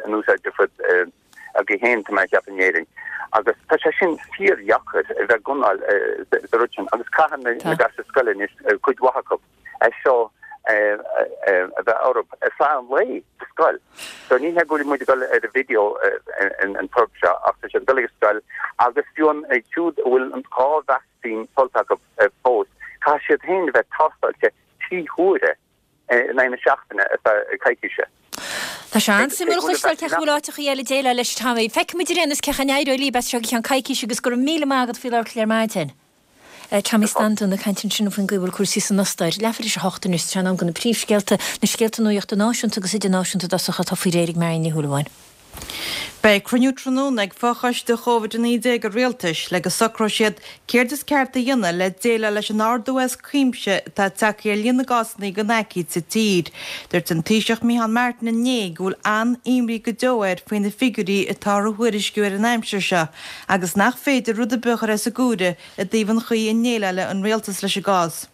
in úsáid ar fud againn féin tá mé ag ceapadh in Éirinn. Agus tá sé sin fíordheacair a bheith ag gunáil sa rud sin agus caitheann na gasúir scoile anois cuid mhaith acu é seo a bheith orthu ar feadh an lae sa scoil. So ní hé go bhfuil muid ag dul ar an video an tuirb seo ach tá siad ag dul ag scoil agus fiú an siúd a bhfuil an dhá vacsaín faighte acu fós, caithfidh siad féin a bheith tástáilte trí huaire in aghaidh na seachtaine ar feadh coicíse. Tá sé an-suimiúil a chloisteáil cén chaoi a bhfuil áiteachaí eile ag déileáil leis Tommy. Feicfimid ar aon nós cén chaoi a n-éireoidh libh as seo go ceann coicíse agus go raibh míle maith agat faoi labhairt linn ar maidin. Tommy Standún ag caint ansin faoin gcaoi a bhfuil cúrsaí san Ostair. Leathuair tar éis a hocht anois, tá sé in am do na príomhscéalta, na scéalta nuachta náisiúnta agus idirnáisiúnta i dtosach atá faoi réir ag Marion Ní Shúilleabháin. Beidh cruinniú tráthnóna ag fochoiste Covid a naoi déag an Rialtais le go socróidh siad céard is ceart a dhéanamh le déileáil leis an ardú as cuimse atá tagtha ar líon na gcásanna den aicíd sa tír. Dúirt an Taoiseach Micheál Martin inné go bhfuil an-imní go deo air faoi na figiúirí atá á thuairisciú ar an aimsir seo agus nach féidir rud ar bith a chur as an gcomhaireamh i dtaobh an chaoi a ndéileálann an rialtas leis an gcás.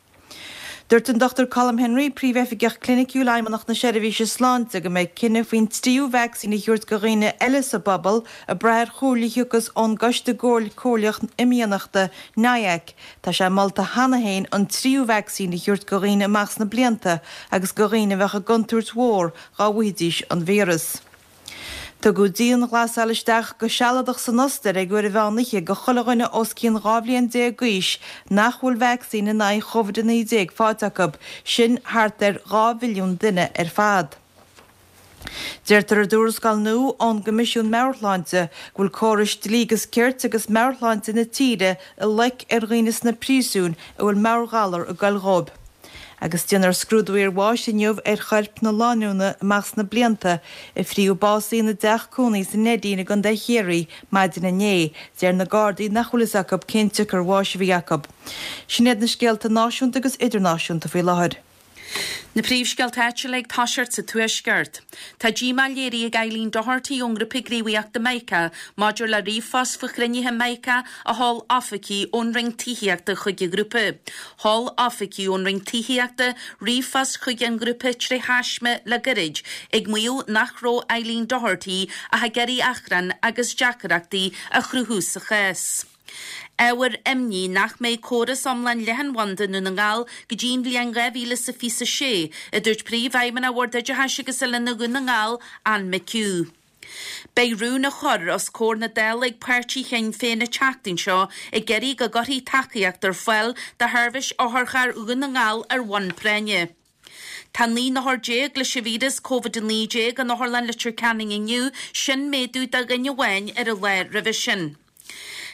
Dúirt an Dochtúir Colm Henry, Príomhoifigeach Cliniciúil Fheidhmeannacht na Seirbhíse Sláinte, go mbeidh cinneadh faoin tríú vacsaín a thabhairt do dhaoine eile sa bpobal ag brath ar chomhairle a thiocfas ón gCoiste Comhairleach Imdhíonachta, N I A C. Tá sé molta cheana féin an tríú vacsaín a thabhairt do dhaoine amach sna blianta agus do dhaoine a bheadh i gcontúirt mhór dá bhfaighidís an víreas. Tugadh dianghlasáil isteach go sealadach san Ostair ag uair an mheán oíche do chuile dhuine os cionn dhá bhliain déag d'aois nach bhfuil vacsaín in aghaidh Covid a naoi déag faighte acu, sin thart ar dhá mhilliún duine ar fad. Deirtear i dtuarascáil nua ón gCoimisiún Meabhair-Shláinte go bhfuil córais dlí agus cirt agus meabhairshláinte na tíre i loic ar dhaoine sna príosúin a bhfuil meabhairghalar ag goil dhóibh. Agus déanfar scrúdú iarbháis inniu ar choirp na lánúna amach sna blianta a fríodh básaithe ina dteach cónaí sa Neidín i gContae Chiarraí maidin inné. Deir na Gardaí nach bhfuil fhios acu cén tsiocair bháis a bhí acu. Sin iad na scéalta náisiúnta agus idirnáisiúnta faoi láthair. Na príomhscéalta áitiúla ag toiseacht sa Tuaisceart. Tá díomá léirithe ag Eileen Doherty ón ngrúpa gníomhaíochta Mica maidir le ríomhphost faoi chruinnithe Mica a sheol oifigigh ón Roinn Tithíochta chuig an ghrúpa. Sheol oifigigh ón Roinn Tithíochta ríomhphost chuig an ngrúpa tré thaisme le gairid, ag maíomh nach raibh Eileen Doherty ach ag iarraidh achrann agus deacrachtaí a chruthú sa chás. Ábhar imní nach mbeidh córas iomlán leathanbhanda i nDún na nGall go dtí an bhliain dhá mhíle is a fiche a sé, a dúirt Príomhfheidhmeannach Bhord Oideachais agus Oiliúna Dhún na nGall, Anne McHugh. Beidh rún á chur os comhair na Dála ag páirtí Shinn Féin an tseachtain seo ag iarraidh go gcuirfí tacaíocht ar fáil do sheirbhís otharchairr Dhún na nGall ar bhonn práinne. Tá naoi n-othar déag leis an víreas Covid a naoi déag in Otharlann Leitir Ceanainn inniu, sin méadú de dhuine amháin ar an lá roimhe sin.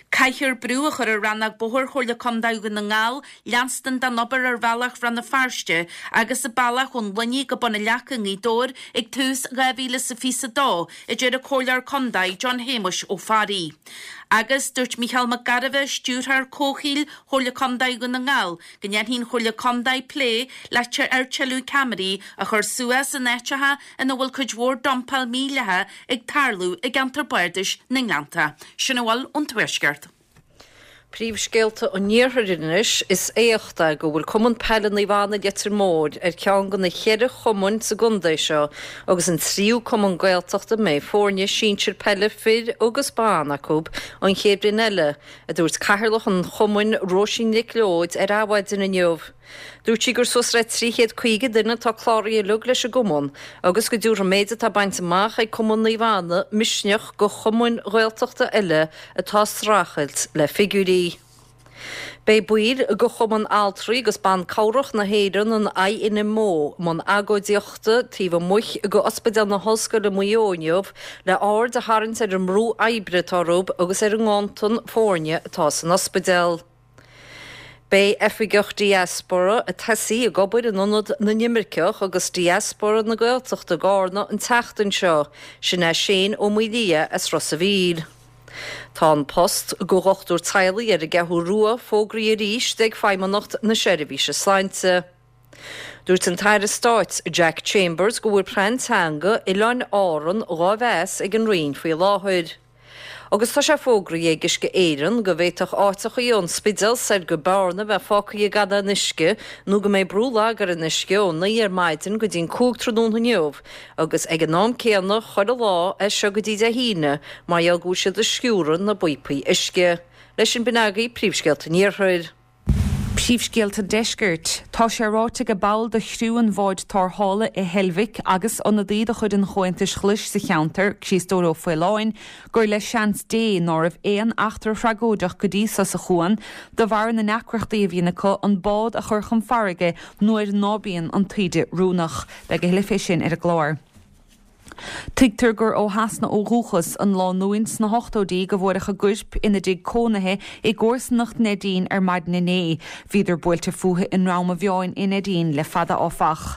Caithfear brú a chur ar Rannóg Bóthair Chomhairle Contae Dhún na nGall leanstan den obair ar bhealach Bhrath na Feirste agus an bealach ón Luinnigh go Bun an Leaca i nGaoth Dobhair ag tús dhá mhíle is a fiche a dó, a deir an Comhairleoir Contae John Shéamuis Ó Fearraigh. Agus dúirt Mícheál Mac Gairbheith, Stiúrthóir Comhshaoil Chomhairle Contae Dhún na nGall, go ndéanfaidh an Chomhairle Contae plé le ar tuilleadh ceamaraí a chur suas in áiteacha ina bhfuil cuid mhór dumpáil mhídhleathach ag tarlú i gceantar bardais na nGleannta. Sin a bhfuil ón Tuaisceart. Príomhscéalta an Iarthair anois is éacht é go bhfuil Cumann Peile Naomh Anna Leitir Móir ar cheann de na ceithre chumainn sa gcontae seo agus an tríú cumann Gaeltachta a mbeidh foirne sinsir peile fir agus ban acu an chéad bhliain eile, a dúirt Cathaoirleach an chumainn Róisín Nic Leoid ar Adhmhaidin inniu. Dúirt sí gur suas le trí chéad caoga duine atá cláraithe uilig leis an gcumann agus go dtabharfaidh an méid atá bainte amach ag Cumann Naomh Anna misneach do chumainn Ghaeltachta eile atá ag streachailt le figiúirí. Beidh baill de Chumann Altraí agus Ban Cabhrach na hÉireann, an I N M O, i mbun agóidíochta taobh amuigh de Ospidéal na hOllscoile Maigh Eo inniu le aird a tharraingt ar an mbrú oibre atá orthu agus ar an nganntan foirne atá san ospidéal. Beidh Oifigeach Diaspóra ag tosaí ag obair in Ionad na nImirceach agus Diaspóra na Gaeltachta i gCarna an tseachtain seo, sin é Shane Ó Maolaodha as Ros a' Mhíl. Tá an post go dhochtúir teaghlaigh ar an gCeathrú Rua fógraithe arís ag Feidhmeannacht na Seirbhíse Sláinte. Dúirt an tAire Stáit Jack Chambers go bhfuil plean teanga Oileáin Árann dhá mheas ag an Roinn faoi láthair. Agus tá sé fógraithe ag Uisce Éireann go bhféadfadh áiteachaí ón Spidéal soir go Bearna bheith fágtha gan aon uisce nó go mbeidh brú lag ar an uisce ó naoi ar maidin go dtí'n cúig tráthnóna inniu agus ag an am céanna chuile lá as seo go dtí Dé hAoine mar gheall go bhfuil siad ag sciúradh na bpíopaí uisce. Leis sin b'in agaibh príomhscéalta an Iarthair. Príomhscéalta an Deiscirt. Tá sé ráite ag ball de chriú an bháid tarrthála i Heilbhic agus ionadaí de chuid an Chomhaontais Ghlais sa cheantar, Críostóir Ó Faoláin, gur le seans Dé ná raibh aon eachtra thragóideach go dtí so sa chuan de bharr na ndeacrachtaí a bhíonn acu an bád a chur chun farraige nuair ná bíonn an taoide oiriúnach. Beidh a thuilleadh fé sin ar an gclár. Tuigtear gur ó Shasana ó dhúchas an lánúin sna hochtóidí go bhfuaireadh a gcoirp ina dtigh cónaithe i gcomharsanacht Neidín ar maidin inné. Bhíodar buailte fúthu i nDrom an Mheáin i Neidín le fada áfach.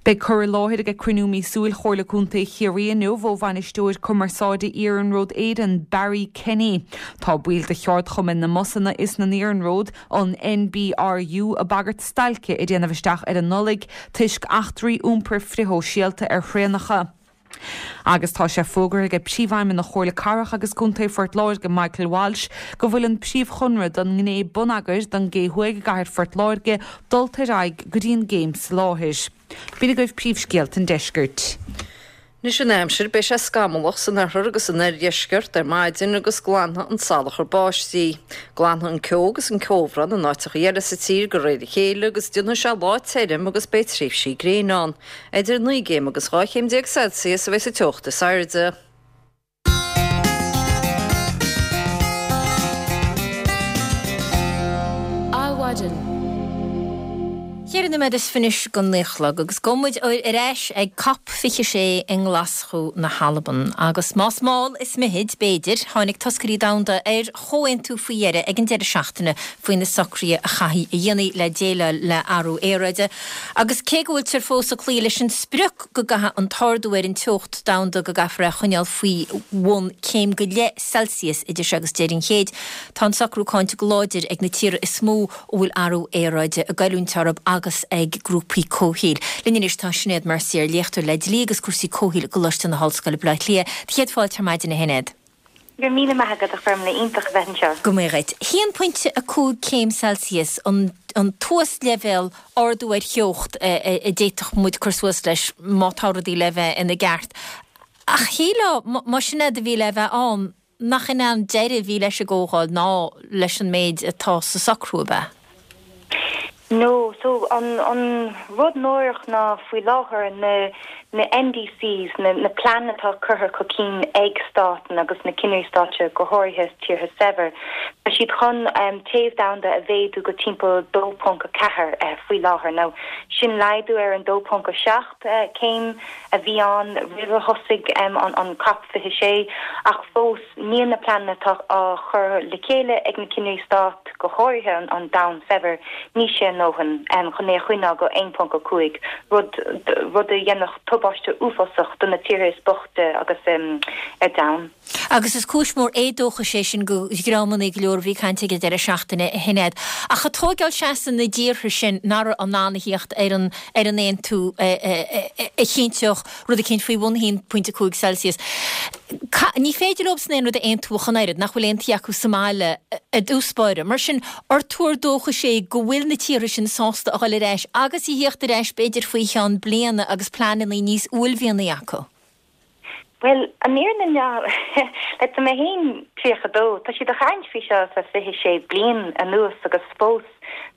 Beidh cur i láthair ag cruinniú míosúil Chomhairle Contae Chiarraí inniu ó bhainisteoir cumarsáide Iarnród Éireann, Barry Kenny. Tá baill de cheardchumainn na mbusanna is na n-iarnród, an NBRU, ag bagairt stailce a dhéanamh isteach ar an Nollaig toisc eachtraí iompair frithshóisialta ar thraenacha. Agus tá sé fógartha ag Príomhfheidhmeannach Chomhairle Cathrach agus Contae Phort Láirge, Michael Walsh, go bhfuil an príomhchonradh don ngné bonneagair don gCé Thuaidh i gcathair Phort Láirge dulta ar aghaidh go dtí an gcéim soláthair. B'in agaibh príomhscéalta an deiscirt. Anois an aimsir, beidh sé scamallach san oirthear agus san oirdheisceart ar maidin agus glanfaidh an salachar báistí. Glanfaidh an ceo agus an ceobhrán in áiteacha eile sa tír de réir a chéile agus déanfaidh sé lá tirim agus beidh tréimhsí gréine ann. Idir naoi gcéim agus dhá chéim déag Celsius a bheidh sa teocht is airde. Adhmhaidin. Ceithre nóiméad is fiche anois go naoi a chlog agus gabhfaidh muid ar ais ag Cop fiche sé i nGlaschú na hAlban. Agus más mall is mithid, b'fhéidir, tháinig toscairí domhanda ar chomhaontú faoi dheireadh ag an deireadh seachtaine faoi na socruithe a chaithfidh a dhéanamh le déileáil le athrú aeráide. Agus cé go bhfuiltear fós ag cloí leis an sprioc go gcaithfidh an t-ardú ar an teocht domhanda go gcaithfear é a choinneáil faoi bhun céim go leith Celsius idir seo agus deireadh an chéid, tá an socrú cáinte go láidir ag na tíortha is mó a bhfuil athrú aeráide ag goilliúint orthu agus ag grúpaí comhshaoil. Linn anois tá Sinéad Mercier, léachtóir le dlí agus cúrsaí comhshaoil i gColáiste na hOllscoile, Baile Átha Cliath. Do chéad fáilte ar maidin, a Shinéad. Go raibh míle maith agat, a Ghormlaith, iontach a bheith anseo. Go maith dhuit. haon pointe a cúig céim Celsius an an t-uasleibhéal ardú ar theocht a d'fhéadfadh muid cur suas leis má tá rudaí le bheith ina gceart. Ach shílfeá, má sin é a bhí le bheith ann, nach in é an deireadh a bhí leis an gcomhdháil ná leis an méid atá sa socrú, ab ea? No, so an an rud náireach ná faoi láthair na na NDCs, na na pleananna atá curtha chun cinn ag stáit agus na cinnirí stáit go háirithe tíortha saibhir, tá siad chun um, téamh domhanda a mhéadú go timpeall dó ponc a ceathair uh, faoi láthair. Now sin laghdú ar an dó ponc a seacht uh, céim a bhí ann roimh a thosaigh um, an an COP fiche sé ach fós níl na pleananna atá á chur le chéile ag na cinnirí stát go háirithe an, an domhan saibhir ní sé a ndóthain um, chun é a choinneáil go aon ponc a cúig rud rud a dhéanfadh tubaiste uafásach do na tíortha is boichte agus um, ar domhan. Agus is cúis mór éadóchais é sin go dhreamanna go leor a bhí ag caint ag an deireadh seachtaine a Shinéad. Ach ag tógáil seasamh na dtíortha sin nach raibh in ann a thíocht ar an ar an aontú a chinnteodh rud eicínt faoi bhun haon pointe cúig Celsius. Ní féidir leobsan aon rud a aontú ach an oiread nach bhfuil aontaithe acu sa mbaile i dtús báire. Mar sin, ar tuar dóchais é go bhfuil na tíortha sin sásta a dhul ar ais agus a thíocht ar ais b'fhéidir faoi cheann bliana agus pleananna níos uaillmhianaí acu? Well, an fhírinne ná le tá mé féin tríocha dó, tá siad ag caint faoi seo le fiche sé bliain anuas agus fós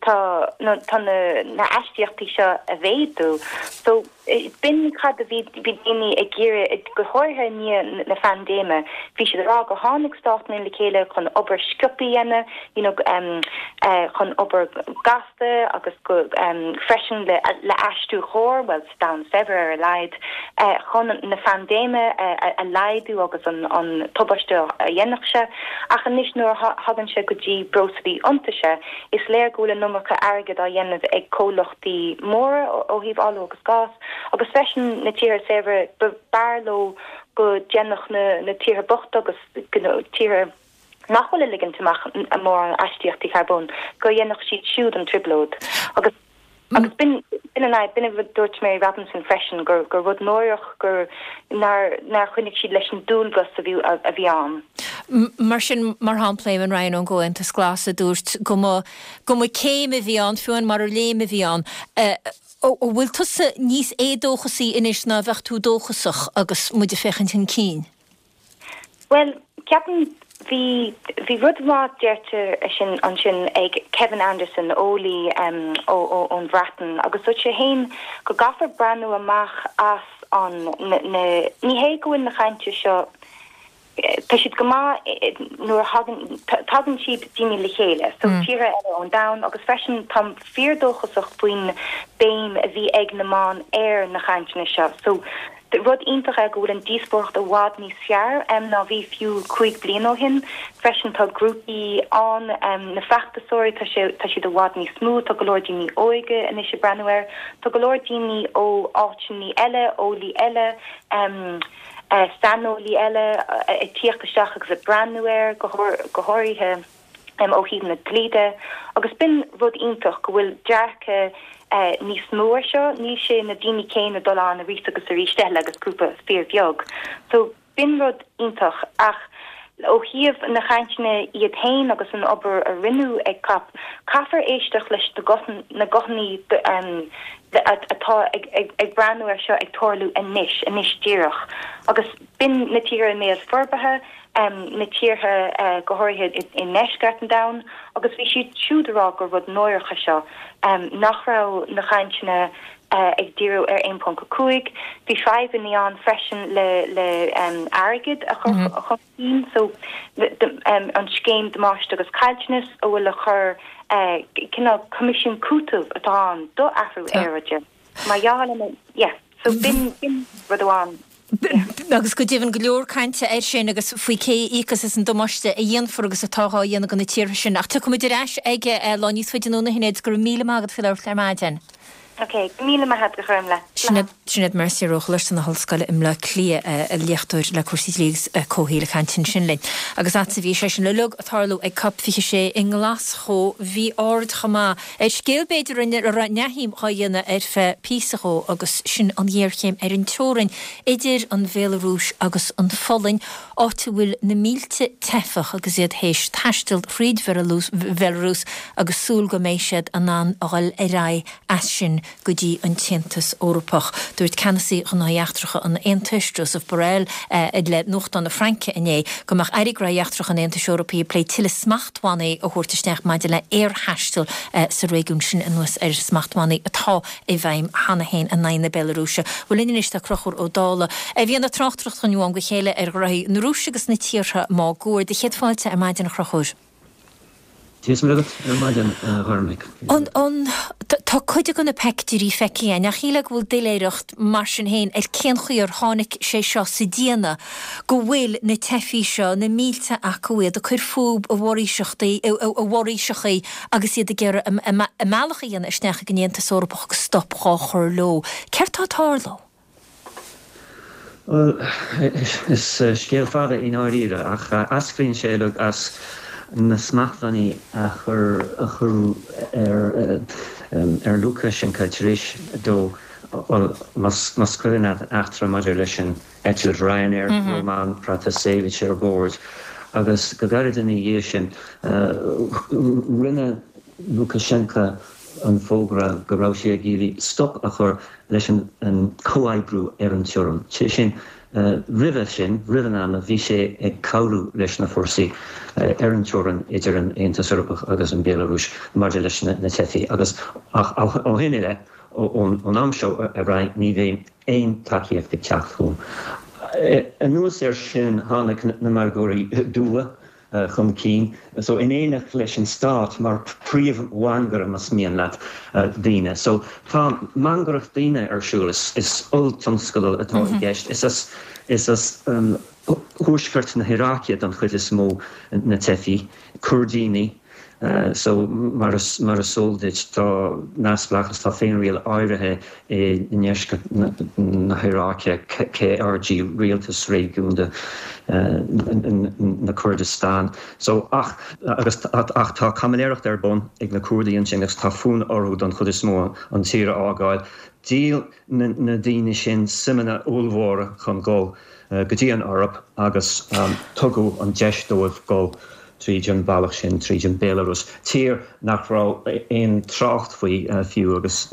tá na tá na na astaíochtaí seo a mhéadú. So b'in cad a bhí bhí daoine ag iarraidh go háirithe i ndiaidh na phaindéime. Bhí siad ag rá gur tháinig státanna le chéile chun obair sciobtha a dhéanamh, you know, um, uh, chun obair gasta agus go um, freisin le, le aistriú chóir, well, sa domhan saibhir ar a laghad, uh, chun na phaindéime uh, a, a laghdú agus an, an tubaiste a dhéanfadh sé. Ach anois nuair a thagann sé go dtí breoslaí iontaise, is léir go bhfuil an iomarca airgead á dhéanamh ag comhlachtaí móra ó thaobh ola agus gás, agus freisin na tíortha saibhre b'fhearr leo go ndéanfadh na na tíortha bochta agus tíortha nach bhfuil ag ligint amach mórán astaíochtaí carbóin, go ndéanfadh siad siúd an trioblóid. Agus Agus b'in b'in an fhadhb, b'in a dúirt Mary Robinson freisin gur gur rud náireach gur nár nár choinnigh siad leis an dualgas a bhí a bhí ann. Mar sin, mar shampla, Eamon Ryan ón gComhaontas Glas a dúirt go mba go mba céim a bhí ann, fiú amháin marar léim a bhí ann. An bhfuil tusa níos éadóchasaí anois ná a bheadh tú dóchasach agus muid ag féachaint chun cinn? Bhuel, ceapaim Bhí bhí rud maith deirte sin ansin ag Kevin Anderson, eolaí um, ó, ó, ón Bhreatain, agus dúirt sé féin go gcaithfear breathnú amach as an na, na, ní hé go bhfuil na cainte seo tá siad go maith nuair a thagann tagann siad daoine le chéile, so mm. tíortha eile ón domhan agus freisin táim fíordóchasach faoin béim a bhí ag na meáin ar na cainteanna seo. So rud iontach é go bhfuil an díospóireacht i bhfad níos fearr um, ná bhí fiú cúig bliain ó shin. Freisin tá grúpaí ann um, na feachtasóirí tá sé tá siad i bhfad níos mó, tá go leor daoine óige anois ag breathnú air, tá go leor daoine ó áiteanna eile, eolaí eile, um, uh, saineolaí eile uh, ag tíocht isteach agus ag breathnú air go go háirithe um, ó thaobh na dlí de agus b'in rud iontach go bhfuil dearcadh uh, níos mó air seo, níl sé na daoine céanna dul ann arís agus arís eile agus grúpa fíorbheag. So b'in rud iontach ach ó thaobh na cainteanna iad féin agus an obair a rinneadh ag COP, caithfear éisteacht leis na guthanna um, atá ag, ag, ag breathnú air seo ag tarlú anois, anois díreach. Agus b'in na tíortha i mbéal forbartha, um, na tíortha uh, go háirithe i ndeisceart an domhain, agus bhí siad siúd ag rá gur rud náireach é seo um, nach raibh na cainteanna uh, ag díriú ar aon ponc a cúig. Bhí fadhbanna ann freisin le le um, airgead a chur mm -hmm. chun cinn, so um, an scéim damáiste agus caillteanas a bhfuil a chur uh, cineál coimisiún cúitimh atá ann do athrú aeráide. Mar gheall yeah, so b'in b'in rud amháin. Agus go deimhin go leor cainte air sin agus faoi cé íocfas as an damáiste a dhéanfar agus atá á dhéanamh do na tíortha sin. Ach tiocfaimid ar ais aige lá níos faide anonn a Shinéad go raibh míle maith agat faoi labhairt ar maidin. Ok, míle maith agat a Ghormfhlaith. Sinéad Mercier ó Choláiste na hOllscoile i mBleá Cliath léachtóir le cúrsaí dlí agus comhshaoil ag caint ansin linn. Agus fhad is a bhí sé sin uilig ag tarlú ag COP fiche sé i nGlaschú bhí aird chomh maith ar scéal b'fhéidir a raibh neamhshuim á dhéanamh ar feadh píosa dhó agus sin an ghéarchéim ar an teorainn idir an Bhéalarúis agus an Pholainn, áit a bhfuil na mílte teifeach agus iad théis taisteal thríd Bhéalarúis agus súil go mbeidh siad in ann a dhul ar aghaidh as sin go dtí an tAontas Eorpach. Dúirt ceannasaí Ghnóthaí Eachtracha an Aontais, Josep Borrell, le nuachtán na Fraince inné go mbeadh Airí Gnóthaí Eachtracha an Aontais Eorpaigh ag plé tuilleadh smachtbhannaí a thabhairt isteach maidir le aerthaisteal sa réigiún sin anuas ar smachtbhannaí atá i bhfeidhm cheana féin in aghaidh na Béalarúise. Bhuel linn anois tá Conchúr Ó Dálaigh a bhíonn ag tráchtaireacht dhúinn ó am go chéile ar ghnóthaí na Rúise agus na tíortha máguaird. Céad fáilte ar maidin a Chonchúir. Dia is Muire duit ar maidin, a Ghormfhlaith. An, an, tá cuid de na peictiúirí feicthe againn, ach shílfeá go bhfuil doiléireacht mar sin féin ar cén chaoi ar tháinig sé seo sa déanamh go bhfuil na teifigh seo, na mílte acu iad ag cur fúthu i bhforaoiseachtaí, i bhforaoiseachaí agus iad ag iarraidh a mbealach a dhéanamh isteach ag an Aontas Eorpach agus stop dhá chur leo. Céard tá ag tarlú? Bhuel, is scéal fada i ndáiríre, ach eascraíonn sé uilig as na smachtbhannaí a chur a cuireadh ar ar Lukashenko tar éis dó, bhuel, más más cuimhin leat an eachtra maidir leis an eitilt Ryanair, Roman Protasevich ar bord, agus go gairid ina dhiaidh sin rinne Lukashenko an fógra go raibh sé ag iarraidh stop a chur leis an comhoibriú ar an teorainn, sé sin Roimhe sin, roimh an ama, bhí sé ag cabhrú leis na fórsaí ar an teorainn idir an Aontas Eorpach agus an Bhéalarúis maidir leis na teifigh agus ach ó shin i leith, ón am seo ar aghaidh, ní bheidh aon tacaíocht ag teacht chugam. Anuas air sin, tháinig na margóirí dubha chun cinn, so in éineacht leis an stát mar phríomh-mhangaire, más mian leat, daoine. So tá mangaireacht daoine ar siúl, is olltionscadal atá i gceist. Is as is as thuaisceart na hIaráice don chuid is mó na teifigh, Coirdínigh, So, mar is mar is eol duit, tá neamhspleáchas, tá féinriail áirithe i ndeisceart na hIaráice, KRG, Rialtas Réigiúnda na Kurdistan. So, ach, agus, ach tá caimiléireacht ar bun ag na Curdaigh ansin agus tá fonn orthu don chuid is mó an tír a fhágáil. Dhíol na daoine sin suimeanna ollmhóra chun dul go dtí an Eoraip agus tugadh an deis dóibh dul tríd an bhealach sin, tríd an Bhéalarúis, tír nach raibh aon trácht faoi fiú agus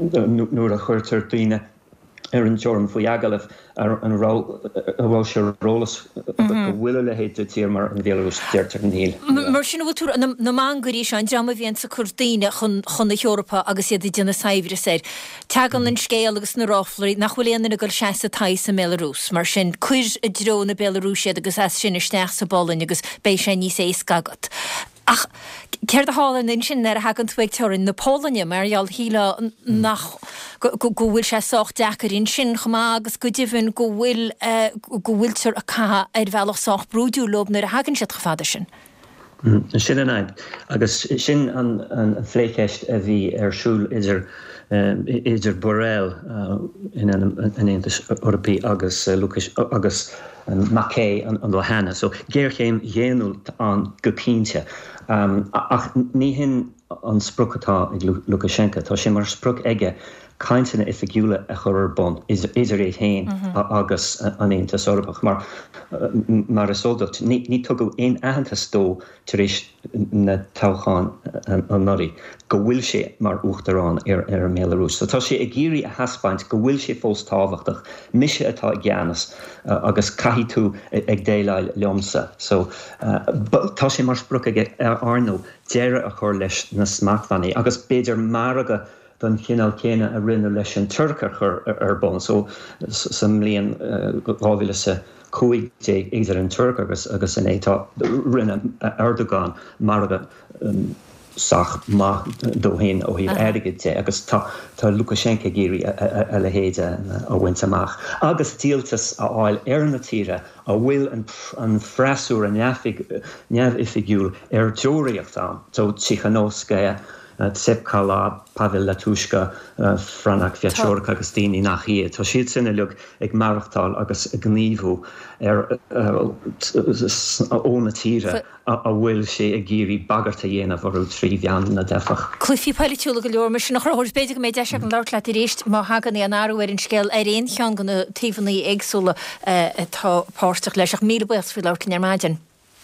nuair a chuirtear daoine ar an teorainn faoi agallamh an raibh an raibh sé ar eolas go bhfuil a leithéid de tír mar an Bhéalarúis, deirtear níl. Mar sin, an bhfuil tú, na mangairí seo, an dream a bhíonns ag cur daoine chun chun na hEorpa agus iad ag déanamh saibhreas air, Tagann an scéal agus na ráflaí nach bhfuil aon duine ag dul seasamh tithe sa mBéalarúis. Mar sin, cuir i dtreo na Béalarúise iad agus as sin isteach sa bPolainn agus beidh sé níos éasca agat. Ach céard a tharlaíonn ansin nuair a thagann tú ag teorainn na Polainne? Mar gheall, shílfeá nach, go bhfuil sé sách deacair ansin chomh maith agus go deimhin go bhfuil, go bhfuiltear ag caitheamh ar bhealach sách brúidiúil leo nuair a thagann siad chomh fada sin. Sin an fhadhb agus sin an phlécheist a bhí ar siúl idir idir Borrell in ainm an Aontais Eorpaigh agus agus Makei an lá cheana. So géarchéim dhaonnúil ann go cinnte. Ach ní hin an sprioc atá ag Lukashenko. Tá sé mar sprioc aige cainteanna oifigiúla a chur ar bun idir é féin agus an Aontas Eorpach. Mar mar is eol duit, ní tugadh aon aitheantas dó tar éis na toghchán anuraidh go bhfuil sé mar uachtarán ar ar an mBéalarúis. So tá sé ag iarraidh a thaispeáint go bhfuil sé fós tábhachtach, mise atá i gceannas agus caithfidh tú ag déileáil liomsa. So tá sé mar sprioc aige ar ndóigh deireadh a chur leis na smachtbhannaí agus b'fhéidir margadh den chineál céanna a rinneadh leis an Tuirc a chur ar bun so sa mbliain dhá mhíle is a cúig déag idir an Tuirc agus agus an AE. Tá rinne Erdogan margadh sách maith dó féin ó thaobh airgid de agus tá tá Lukashenko ag iarraidh a leithéid a bhaint amach agus díoltas a fháil ar na tíortha a bhfuil an an freasúra neamhoifigiúil ar deoraíocht ann, so Tsikhanouskaya, Tsepkalo, Pavel Latushka, Franak Viačorka agus daoine nach iad. Tá siad sin uilig ag maireachtáil agus ag gníomhú ar ó na tíortha a bhfuil sé ag iarraidh bagairt a dhéanamh orthu trí mheán na dteifeach. Cluichí poilitiúla go leor mar sin a Chonchúir. B'fhéidir go mbeidh deis agam labhairt leat arís má thagann aon athrú ar an scéal ar aon cheann de na taobhanna éagsúla atá páirteach leis. Ach míle buíochas faoi labhairt linn ar maidin.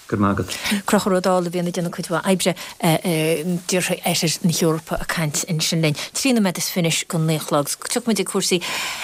Go raibh maith agat. Conchúr Ó Dálaigh a bhíonn ag déanamh cuid mhaith oibre i dtíortha oirthear na hEorpa ag caint ansin linn. Trí nóiméad is fiche go naoi a chlog. Tiocfaidh muid ag cúrsaí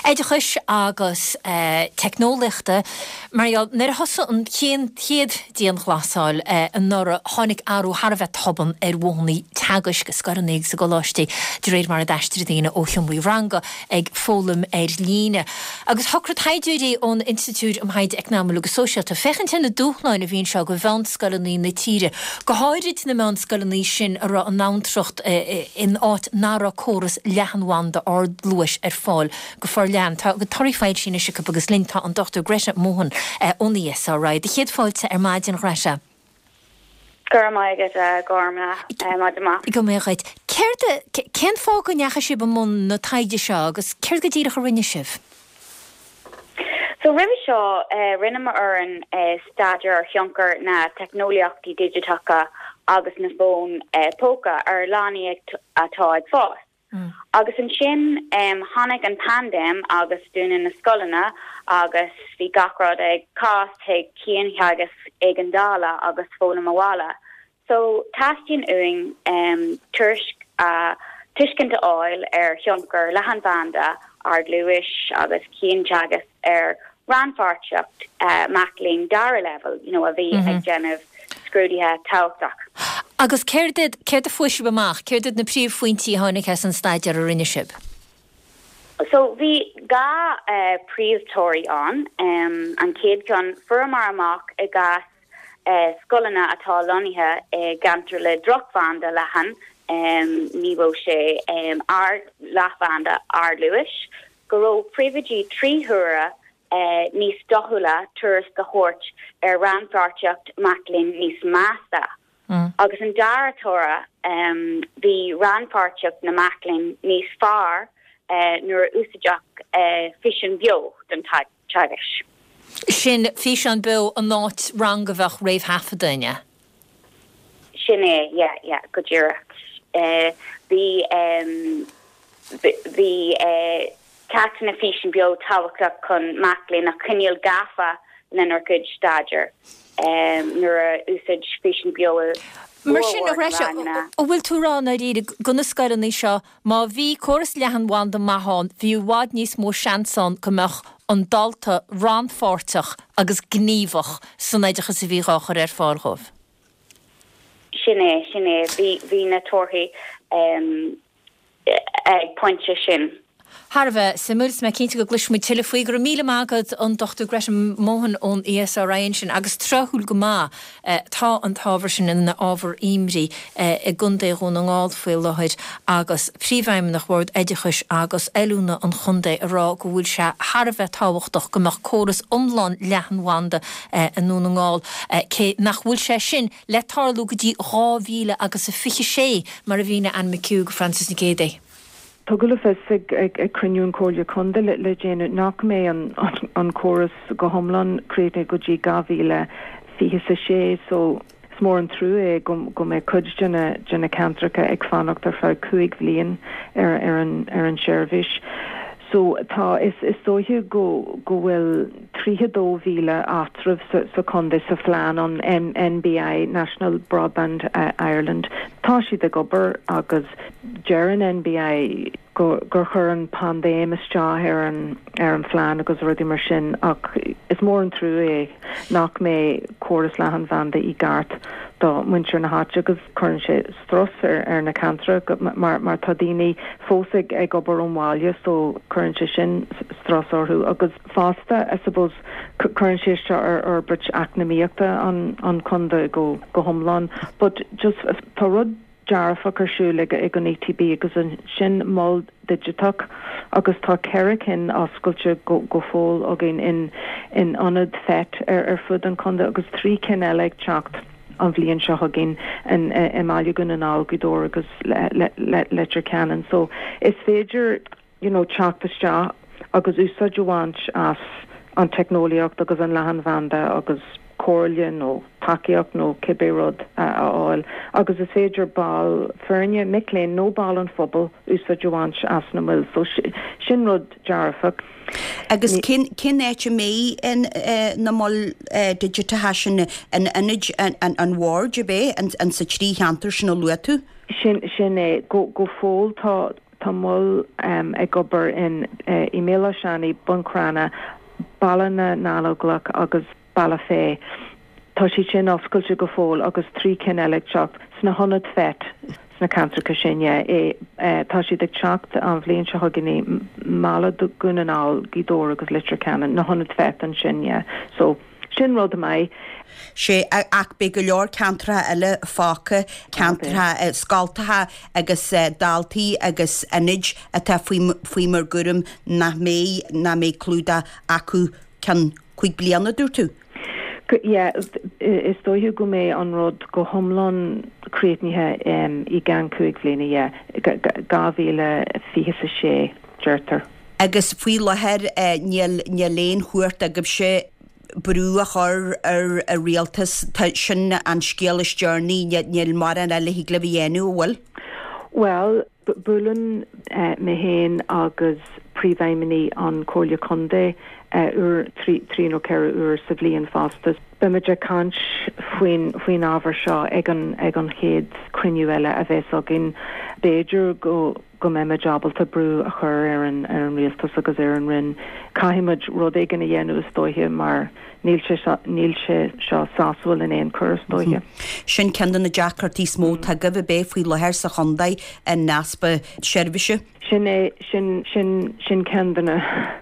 oideachais agus teicneolaíochta. Mar gheall, nuair a thosaigh an chéad dianghlasáil anuraidh, tháinig athrú thar a bheith tobann ar mhodhanna teagaisc i scoileanna agus i gcoláistí de réir mar a d'aistrigh daoine ó sheomraí ranga ag foghlaim ar líne. Agus shocraigh taighdeoirí ón Institiúid um Thaighde Eacnamúil agus Sóisialta féachaint ar na dúshláin a bhí anseo do mheánscoileanna na tíre, go háirid na meánscoileanna sin a raibh a n-abhantracht in áit nach raibh córas leathanbhanda ardluais ar fáil go forleathan. Tá torthaí foilsithe anois acu agus linn tá an Dochtúir Greta Mohan ón ESRI. Do chéad fáilte ar maidin, Greta. Go raibh maith agat, a Ghormfhlaith. Maidin mhaith. Go mbeadh dhuit. Céard a, cén fáth go ndeachaigh sibh i mbun na taighde seo agus céard go díreach a rinne sibh? So roimhe seo, rinne m'fhoireann staidéar ar thionchar na teicneolaíochtaí digiteacha agus na bhfón póca ar leanaí atá ag fás. Agus ansin tháinig an paindéim agus dúnadh na scoileanna agus bhí gach rud ag cás chuig ciantheagasc éigeandála agus foghlaim abhaile. So teastaíonn uainn tuairisc a tuiscint a fháil ar thionchar leathanbhanda ardluais agus cianteagasc ar rannpháirtíocht mac léinn dara leibhéal, you know, a bhí ag déanamh scrúduithe tábhachtach. Agus céard iad, céard a fuair sibh amach, céard iad na príomhphointí a tháinig as an staidéar a rinne sibh? So bhí dhá uh, príomhthoradh ann, um, an chéad cheann fuaireamar amach i gcás uh, scoileanna atá lonnaithe i gceantar le drochbhanda leathan, um, ní raibh sé um, ard leathbhanda ardluais, go raibh príomhoidí trí huaire uh, níos dóchúla tuairisc a thabhairt ar rannpháirtíocht mac léinn níos measa. Mm. Agus an dara toradh um, bhí rannpháirtíocht na mac léinn níos fearr uh, nuair a úsáideadh uh, físeán beo don teagasc. Sin físeán beo an áit rang a bheadh réamhthaifeadta? Sin é yeah, yeah, go díreach. Uh, bhí um, bhí uh, ceachtanna físeán beo tábhachtach chun mac léinn a choinneáil gafa lena gcuid staidéir. Um, nuair a úsáid físeán beo Mar sin a Ghreise an bhfuil tú ag rá dáiríre do na scoileanna seo má bhí córas leathanbhanda maith ann bhí i bhfad níos mó seans ann go mbeadh an dalta rannpháirteach agus gníomhach san oideachas a bhí á chur ar fáil dóibh. Sin é sin é bhí bhí na torthaí um, ag pointe sin. Thar a bheith suimiúil is mé cinnte go gcloisfimid tuilleadh faoi go raibh míle maith agat an Dr Greta Mohan ón ESRI sin agus tráthúil go maith eh, tá an t-ábhar sin ina ábhar imní eh, i gContae Dhún na nGall faoi láthair agus príomhfheidhmeannach Bhord Oideachais agus Oiliúna an chontae ag rá go bhfuil sé thar a bheith tábhachtach go mbeadh córas iomlán leathanbhanda eh, i nDún na nGall cé nach bhfuil sé sin le tarlú go dtí dhá mhíle agus a fiche sé mar a mhínigh Anne McHugh Francis Nic Géadaigh. Tugadh le fios ag ag ag cruinniú an Chomhairle Contae le le déanaí nach mbeidh an an, an córas go hiomlán críochnaithe go dtí dhá mhíle fiche a sé so is mór an trua é go go mbeidh cuid de na de na ceantracha ag fanacht ar feadh cúig bhliain ar ar an ar an seirbhís. So tá is is dóiche go go bhfuil tríocha dó mhíle áitreabh sa, sa chontae sa phlean an N NBI National Broadband uh, Ireland. Tá siad ag obair agus deir an NBI go gur chuir an paindéim isteach ar an ar an phlean agus rudaí mar sin ach is mór an trua é nach mbeidh córas leathanbhanda i gceart do mhuintir na háite agus cuireann sé strus ar ar na ceantracha mar mar tá daoine fós ag ag obair ón bhaile so cuireann sé sin strus orthu agus fosta I suppose cuireann sé seo ar fhorbairt eacnamaíochta an an chontae go go hiomlán but just tá rud dearfach ar siúl ag ag an ETB agus an sin mol digiteach agus tá ceithre cinn oscailte go go fóill againn in in ionad FET ar ar fud an chontae agus trí cinn eile ag teacht an bhliain seo chugainn in i mBaile Dhún na nGall Gaoth Dobhair agus le le Leitir Ceanainn so is féidir you know teacht isteach agus úsáid a bhaint as an teicneolaíocht agus an leathanbhanda agus comhairle nó tacaíocht nó cibé rud a fháil agus is féidir ball foirne mic léinn nó ball an phobal úsáid a bhaint as na moil so sin rud dearfach. Agus cén cén áit a mbeidh in eh, na moil eh, digiteacha sin in ionaid an, an, an bhoird ab é an, an sa trí cheantar sin a luaigh tú? Sin sin é go go fóill tá tá mol um, ag obair in uh, i Béal Átha Seanaidh Bun Cranncha Baile na nGallóglach agus Bealach Féich. Tá siad sin oscailte go fóill agus trí cinn eile ag teacht sna hionaid FET sna ceantracha sin é tá siad ag teacht an bhliain seo chugainn i mBaile Dhún na nGall Gaoth Dobhair agus Leitir Ceanainn na hionaid FET ansin yeah. So sin rud maith. Sé ach beidh go leor ceantracha eile fágtha ceantracha scoltacha agus daltaí agus ionaid atá faoi mar gcúram nach mbeidh nach mbeidh clúdach acu ceann cúig bliana dúirt tú. Yeah, is dóiche go mbeidh an rud go hiomlán críochnaithe um, i gceann cúig bliana yeah, dhá mhíle fiche a sé deirtear. Agus faoi láthair níl níl aon chumhacht agaibhse brú a chur ar a rialtas sin an scéal is deireanaí níl mórán eile thig libh a dhéanamh an bhfuil? Well, buaileann uh, mé féin agus príomhfheidhmeannaigh an Chomhairle Contae uh, uair trí, trí nó ceithre uair sa bhliain fosta. Beimid ag caint faoin faoin ábhar seo ag an ag an chéad cruinniú eile a bheas againn. B'fhéidir go go mbeimid ábalta brú a chur ar an ar an rialtas agus ar an Roinn. Caithfimid rud éigin a dhéanamh is dóiche mar níl sé níl sé seo sásúil in aon chor is dóiche. Sin ceann de na deacrachtaí is mó atá agaibh ab é faoi láthair sa chontae an easpa seirbhíse. Sin é sin sin sin ceann de na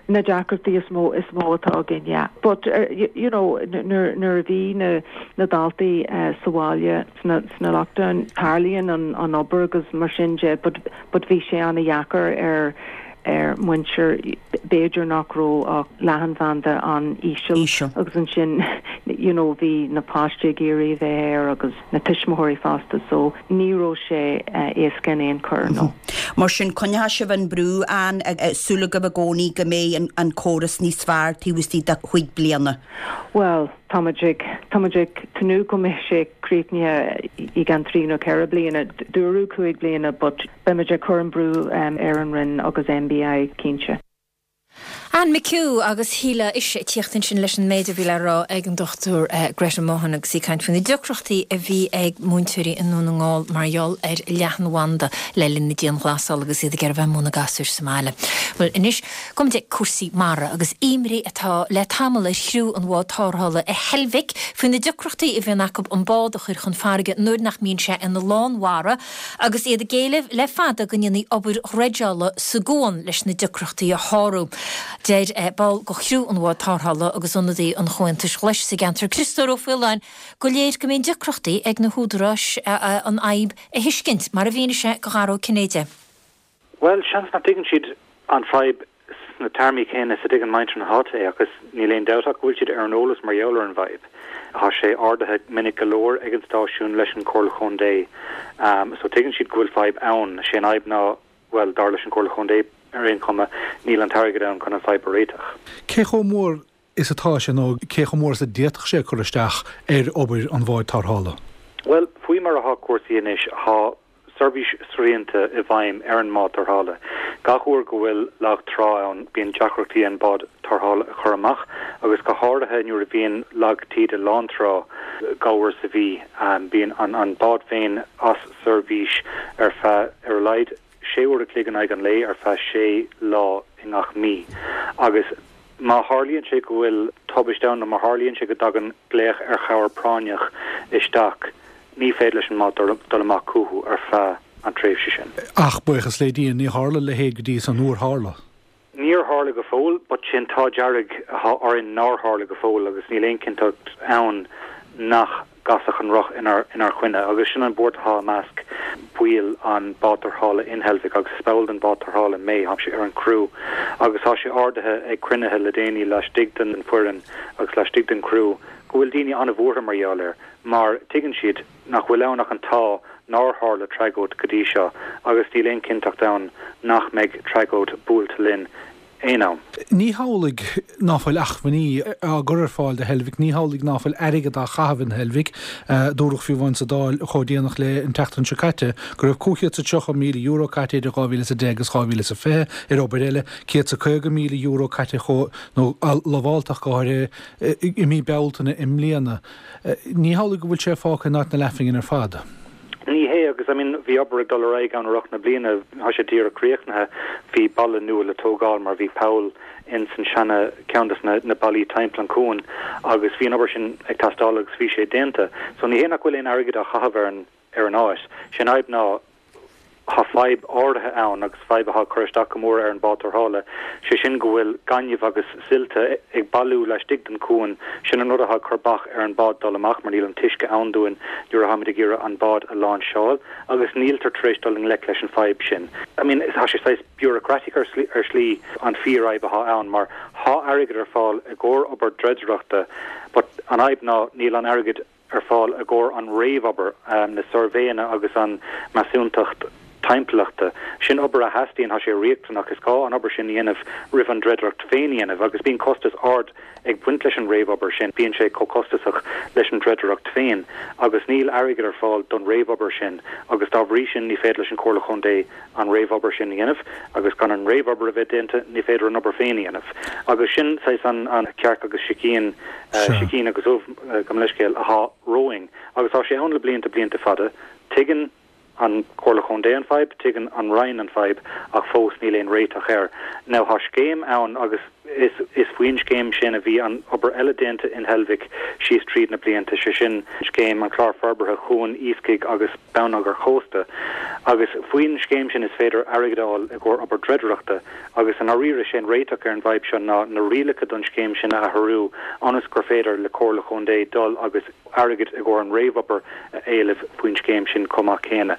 na deacrachtaí is mó is mó atá againn yeah. But uh, you, you know nuair nuair a bhí na na daltaí uh, sa bhaile sna sna lockdown tarlaíonn an an obair agus mar sin de but but bhí sé an-deacair ar ar muintir b'fhéidir nach raibh ach leathanbhanda an-íseal agus ansin you know bhí na páistí ag iarraidh bheith air agus na tuismitheoirí fosta so ní raibh sé uh, éasca in aon chor no. Mar sin coinneoidh sibh an brú ann súil agaibh i gcónaí go mbeidh an, an córas níos fearr taobh istigh de chúig bliana. Well, táimid ag táimid ag tnúth go mbeidh sé críochnaithe i gceann trí nó ceithre bliana dúradh cúig bliana, but beimid ag cur an brú um, ar an Roinn agus NBI cinnte. Anne McHugh agus Shíle ise ag tíocht sin leis an méid a bhí le rá ag an Dr uh, Greta Mohan agus í ag caint faoi na deacrachtaí a bhí ag múinteoirí i nDún na nGall mar gheall ar leathanbhanda le linn na dianghlasála agus iad ag iarraidh bheith ag múineadh gasúir sa mbaile. Well anois go dtí cúrsaí mara agus imní atá le tamall ar chriú an bháid tarrthála i Heilbhic faoi na deacrachtaí a bhíonn acu an bád a chur chun farraige nuair nach mbíonn sé ina lánmhara agus iad ag éileamh le fada go ndéanfaí obair dhreideála sa gcuan leis na deacrachtaí a shárú. Deir eh, ball de chriú an bháid tarrthála agus ionadaí an Chomhaontais Ghlais sa gceantar Criostóir Ó Faoláin go léir go mbíonn deacrachtaí ag na húdaráis eh, an fhadhb a thuiscint mar a mhínigh sé do Dhara Ó Cinnéide. Well seans nach dtuigeann siad an fhadhb sna téarmaí céanna is a dtuigeann muintir na háite é agus níl aon dabht ach go bhfuil siad ar an eolas mar gheall ar an bhfadhb. Tá sé ardaithe minic go leor ag an stáisiún leis an Chomhairle Chontae. Um, so tuigeann siad go bhfuil fadhb ann sé an fhadhb ná well dar leis an Chomhairle Chontae ar aon chuma níl an t-airgead ann chun an fhadhb a réiteach. Cé chomh mór is atá sé nó cé chomh mór is a d'fhéadfadh sé cur isteach ar obair an bháid tarrthála? Well, faoi mar atá cúrsaí anois tá seirbhís srianta i bhfeidhm ar an mbád tarrthála. Gach uair go bhfuil lag trá ann bíonn deacrachtaí an bád tarrthála a chur amach agus go háirithe nuair a bhíonn lag taoide lántrá dhá uair sa mhí um, bíonn an, an bád féin as seirbhís ar feadh ar a laghad sé uair a chloig in aghaidh an lae ar feadh sé lá i ngach mí. Agus má tharlaíonn sé go bhfuil tubaiste ann nó má tharlaíonn sé go dtagann glaoch ar chabhair práinneach isteach, ní féidir leis an mbád dul amach chucu ar feadh an tréimhse sin. Ach buíochas le Dia ní tharla a leithéid go dtí seo nár tharla. Níor tharla go fóill, but sin tá dearg orainn nár tharla go fóill agus níl aon chinnteacht ann nach gcasfadh an roth inár inár gcoinne agus sin an buairt atá i measc baill an bád tarrthála in Heilbhic agus is ball den bád tarrthála mé táimse ar an criú agus tá sé ardaithe ag cruinnithe le déanaí laistigh den foireann agus laistigh den criú go bhfuil daoine an-bhuartha mar gheall air mar tuigeann siad nach bhfuil ann ach an t-ádh nár tharla tragóid go dtí seo agus níl aon chinnteacht ann nach mbeidh tragóid buailte linn aon am. Ní hamhlaidh ná fuil acmhainní á gcur ar fáil do Heilbhic, ní hamhlaidh ná fuil airgead á chaitheamh in Heilbhic, dúradh fiú amháin sa Dáil chomh déanach le an tseachtain seo caite go raibh cúig chéad is tríocha míle euro caite idir dhá mhíle is a deich agus dhá mhíle is a fiche ar obair eile, céad is caoga míle euro caite chomh nó lamháltach go háirithe i mí Bealtaine i mbliana. Ní hamhlaidh go bhfuil sé fágtha in áit na leathphingine ar fad. Ní hé agus I mean bhí obair ag dul ar aghaidh ann i rith na bliana tá sé díreach críochnaithe bhí balla nua le tógáil mar bhí poll in san seana ceann des na, na ballaí timpeall an cuan agus bhí an obair sin ag teastáil agus bhí sé déanta. So ní hé nach bhfuil aon airgead á chaitheamh ar an ar an áit. Sé an fhadhb ná tá fadhb áirithe ann agus fadhb atá ag cur isteach go mór ar an bád tarrthála, sé sin go bhfuil gaineamh agus silt ag bailiú laistigh den chuan, sin an rud atá ag cur bac ar an bád dul amach mar níl an t-uisce ann dúinn nuair atáimid ag iarraidh an bád a láinseáil agus níltear tar éis dul i ngleic leis an fadhb sin. I mean tá sé saghas bureaucratic ar ar shlí an fíorfhadhb atá ann mar tá airgead ar fáil i gcomhair obair dreidireachta but an fhadhb ná níl an airgead ar fáil i gcomhair an réamhobair, na suirbhéanna agus an measúntacht timpeallachta. Sin obair a theastaíonn, tá sé riachtanach, is gá an obair sin a dhéanamh roimh an dreidireacht féin a dhéanamh agus bíonn costas ard ag baint leis an réamhobair sin, bíonn sé chomh costasach leis an dreidireacht féin agus níl airgead ar fáil don réamhobair sin agus dá bhrí sin ní féidir leis an Chomhairle Chontae an réamhobair sin a dhéanamh agus gan an réamhobair a bheith déanta ní féidir an obair féin a dhéanamh agus sin saghas an an cearc agus sicín, sicín agus ubh, gabh mo leithscéal, atá romhainn agus tá sé ann le blianta blianta fada. Tuigeann an Chomhairle Chontae an fadhb, tuigeann an Roinn an fadhb, ach fós níl aon réiteach air. Now tá scéim ann agus is is faoin scéim sin a bhí an obair eile déanta in Heilbhic síos tríd na blianta, sé sin scéim an Chlár Forbartha Chuan Iascaigh agus Bonneagair Chósta. Agus faoin scéim sin is féidir airgead a fháil i gcomhair obair dreidireachta agus i ndáiríre sé an réiteach ar an bhfadhb seo ná na rialacha don scéim sin a athrú ionas gur féidir le Comhairle Chontae dul agus airgead i gcomhair an réamhobair a éileamh faoin scéim sin chomh maith céanna.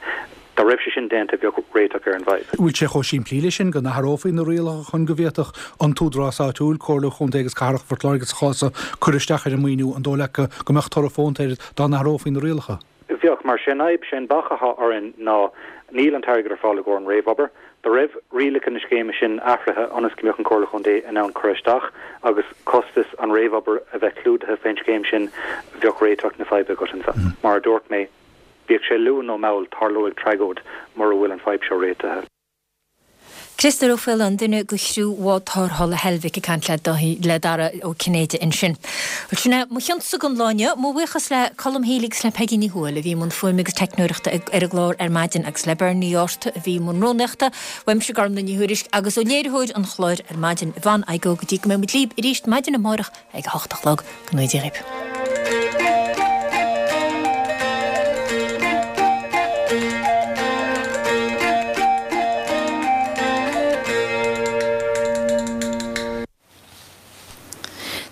Dá raibh sé sin déanta bheadh réiteach ar an bhfadhb. Bhfuil sé chomh simplí leis sin go n-athrófaí na rialacha chun go bhféadfadh an t-údarás áitiúil, Comhairle Chontae agus Cathrach Phort Láirge sa chás seo, cur isteach ar an maoiniú, an dóigh leat go mbeadh toradh fónta air dá n-athrófaí na rialacha? Bheadh, mar sé an fhadhb, sé an bac atá orainn ná níl an t-airgead ar fáil i gcomhair an réamhobair. Dá raibh rialacha na scéime sin athraithe ionas go mbeadh an Chomhairle Chontae in ann cur isteach agus costas an réamhobair a bheith clúdaithe fén scéim sin, bheadh réiteach na faidhbe agat ansan. Mar a dúirt mé, bíodh sé luath nó mall, tarlóidh tragóid mura bhfuil an fadhb seo réitithe. Criostóir Ó Faoláin, duine de chriú bhád tarrthála Heilbhic ag caint le Dara Ó Cinnéide ansin. Bhuel sin é mo chionsa don lá inniu. Mo bhuíochas le Colm Healy agus le Peigí Ní Thuathail a bhí i mbun fuaime agus teicneoireachta ar an gclár ar maidin agus le Bernie Ní Fhátharta a bhí i mbun rúnaíochta. Uaimse Gormlaith Ní Thuairisg agus ó léiritheoir an chláir ar maidin, Yvonne Igoe go dtí go mbeidh muid libh arís maidin amárach ag a hocht a chlog. Go ngnóthaí Dia dhaoibh.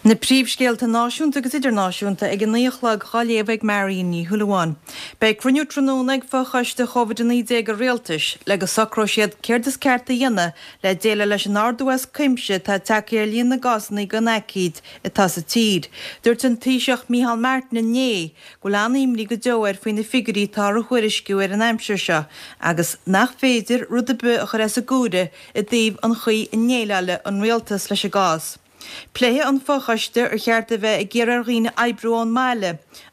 Na príomhscéalta náisiúnta agus idirnáisiúnta ag a naoi a chlog á léamh ag Marion Ní Shúilleabháin. Beidh cruinniú tráthnóna ag Fochoiste Covid a naoi déag an Rialtais le go socróidh siad céard is ceart a dhéanamh le déileáil leis an ardú as cuimse atá tagtha ar líon na gcásanna den aicíd atá sa tír. Dúirt an Taoiseach Micheál Martin inné go bhfuil an-imní go deo air faoi na figiúirí atáthar a thuairisciú ar an aimsir seo agus nach féidir rud ar bith a chur as an gcomhaireamh i dtaobh an chaoi a ndéileáilfidh an rialtas leis an gcás. Pléifidh an fochoiste ar cheart a bheith ag iarraidh ar dhaoine oibriú ón mbaile,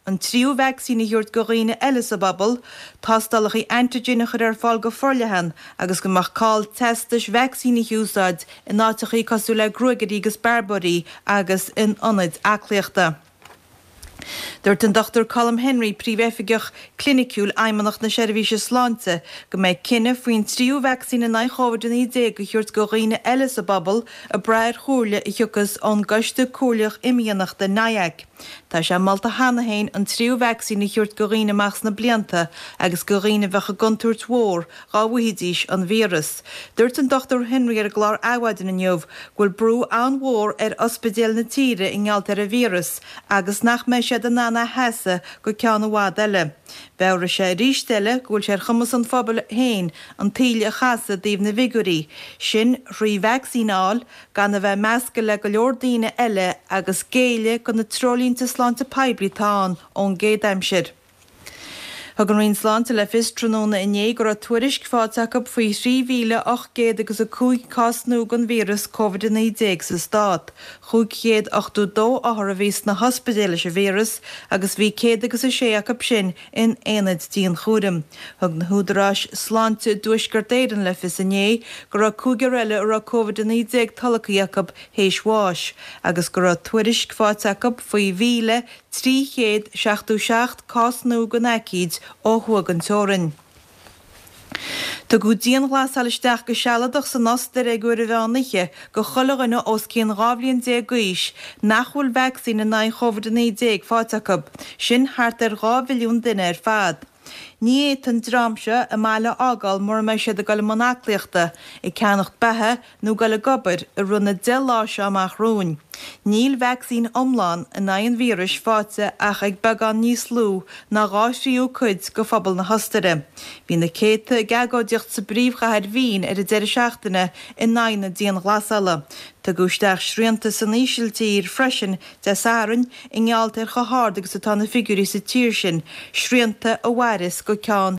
an tríú vacsaín a thabhairt do dhaoine eile sa bpobal, tástálacha antigen a chur ar fáil go forleathan agus go mbeadh call teastais vacsaíne a úsáid in áiteachaí cosúil le gruagairí agus bearbóirí agus in ionaid aclaíochta. Dúirt an Dochtúir Colm Henry, Príomhoifigeach Cliniciúil Fheidhmeannacht na Seirbhíse Sláinte, go mbeidh cinneadh faoin tríú vacsaín in aghaidh Covid a naoi déag a thabhairt do dhaoine eile sa bpobal ag brath ar chomhairle a thiocfas ón gCoiste Comhairleach Imdhíonachta, NIAC. Tá sé molta cheana féin an tríú vacsaín a thabhairt do dhaoine amach sna blianta agus do dhaoine a bheadh i gcontúirt mhór dhá bhfaighidís an víreas. Dúirt an Dochtúir Henry ar an gclár Adhmhaidin inniu go bhfuil brú an-mhór ar ospidéil na tíre i ngeall ar an víreas agus nach mbeidh siad in ann é a sheasamh go ceann i bhfad eile. Mheabhraigh sé arís eile go bhfuil sé ar chumas an phobail féin an taoille a chasadh i dtaobh na bhfigiúirí sin thrí vacsaín a fháil, gan a bheith measctha le go leor daoine eile agus géilleadh do na treoirlínte sláinte poiblí atá ann ón gcéad aimsir. Thug an Roinn Sláinte le fios tráthnóna inné go raibh tuairisc faighte acu faoi thrí mhíle ocht gcéad agus a cúig cás nua den víreas Covid a naoi déag sa stát. Chúig chéad ochtó dó othar a bhí sna hospidéil leis an víreas agus bhí céad agus a sé acu sin in aonaid dianchúraim. Thug na húdaráis sláinte i dTuaisceart Éireann le fios inné go raibh cúigear eile a raibh Covid a naoi déag tolgtha acu théis bháis agus go raibh tuairisc faighte acu faoi mhíle trí chéad seachtó seacht cás nua den aicíd ó thuaidh den teorainn. Tugadh dianghlasáil isteach go sealadach san Ostair ag uair an mheán oíche do chuile dhuine os cionn dhá bhliain déag d'aois nach bhfuil vacsaín in aghaidh Covid a naoi déag faighte acu, sin thart ar dhá mhilliún duine ar fad. Ní fhéadfaidh an dream seo a mbaile a fhágáil mura mbeidh siad ag dul i mbun aclaíochta, ag ceannacht beatha nó ag dul ag obair i rith na deich lá seo amach romhainn. Níl vacsaín iomlán in aghaidh an víris faighte ach ag beagán níos lú ná dhá thríú cuid de phobal na hOstaire. Bhí na céadta ag agóidíocht sa bpríomhchathair Vín ar an deireadh seachtaine in aghaidh na dianghlasála. Tugadh isteach srianta san Ísiltír freisin Dé Sathairn i ngeall ar chomh hard agus atá na figiúirí sa tír sin, srianta a mhairfeas go ceann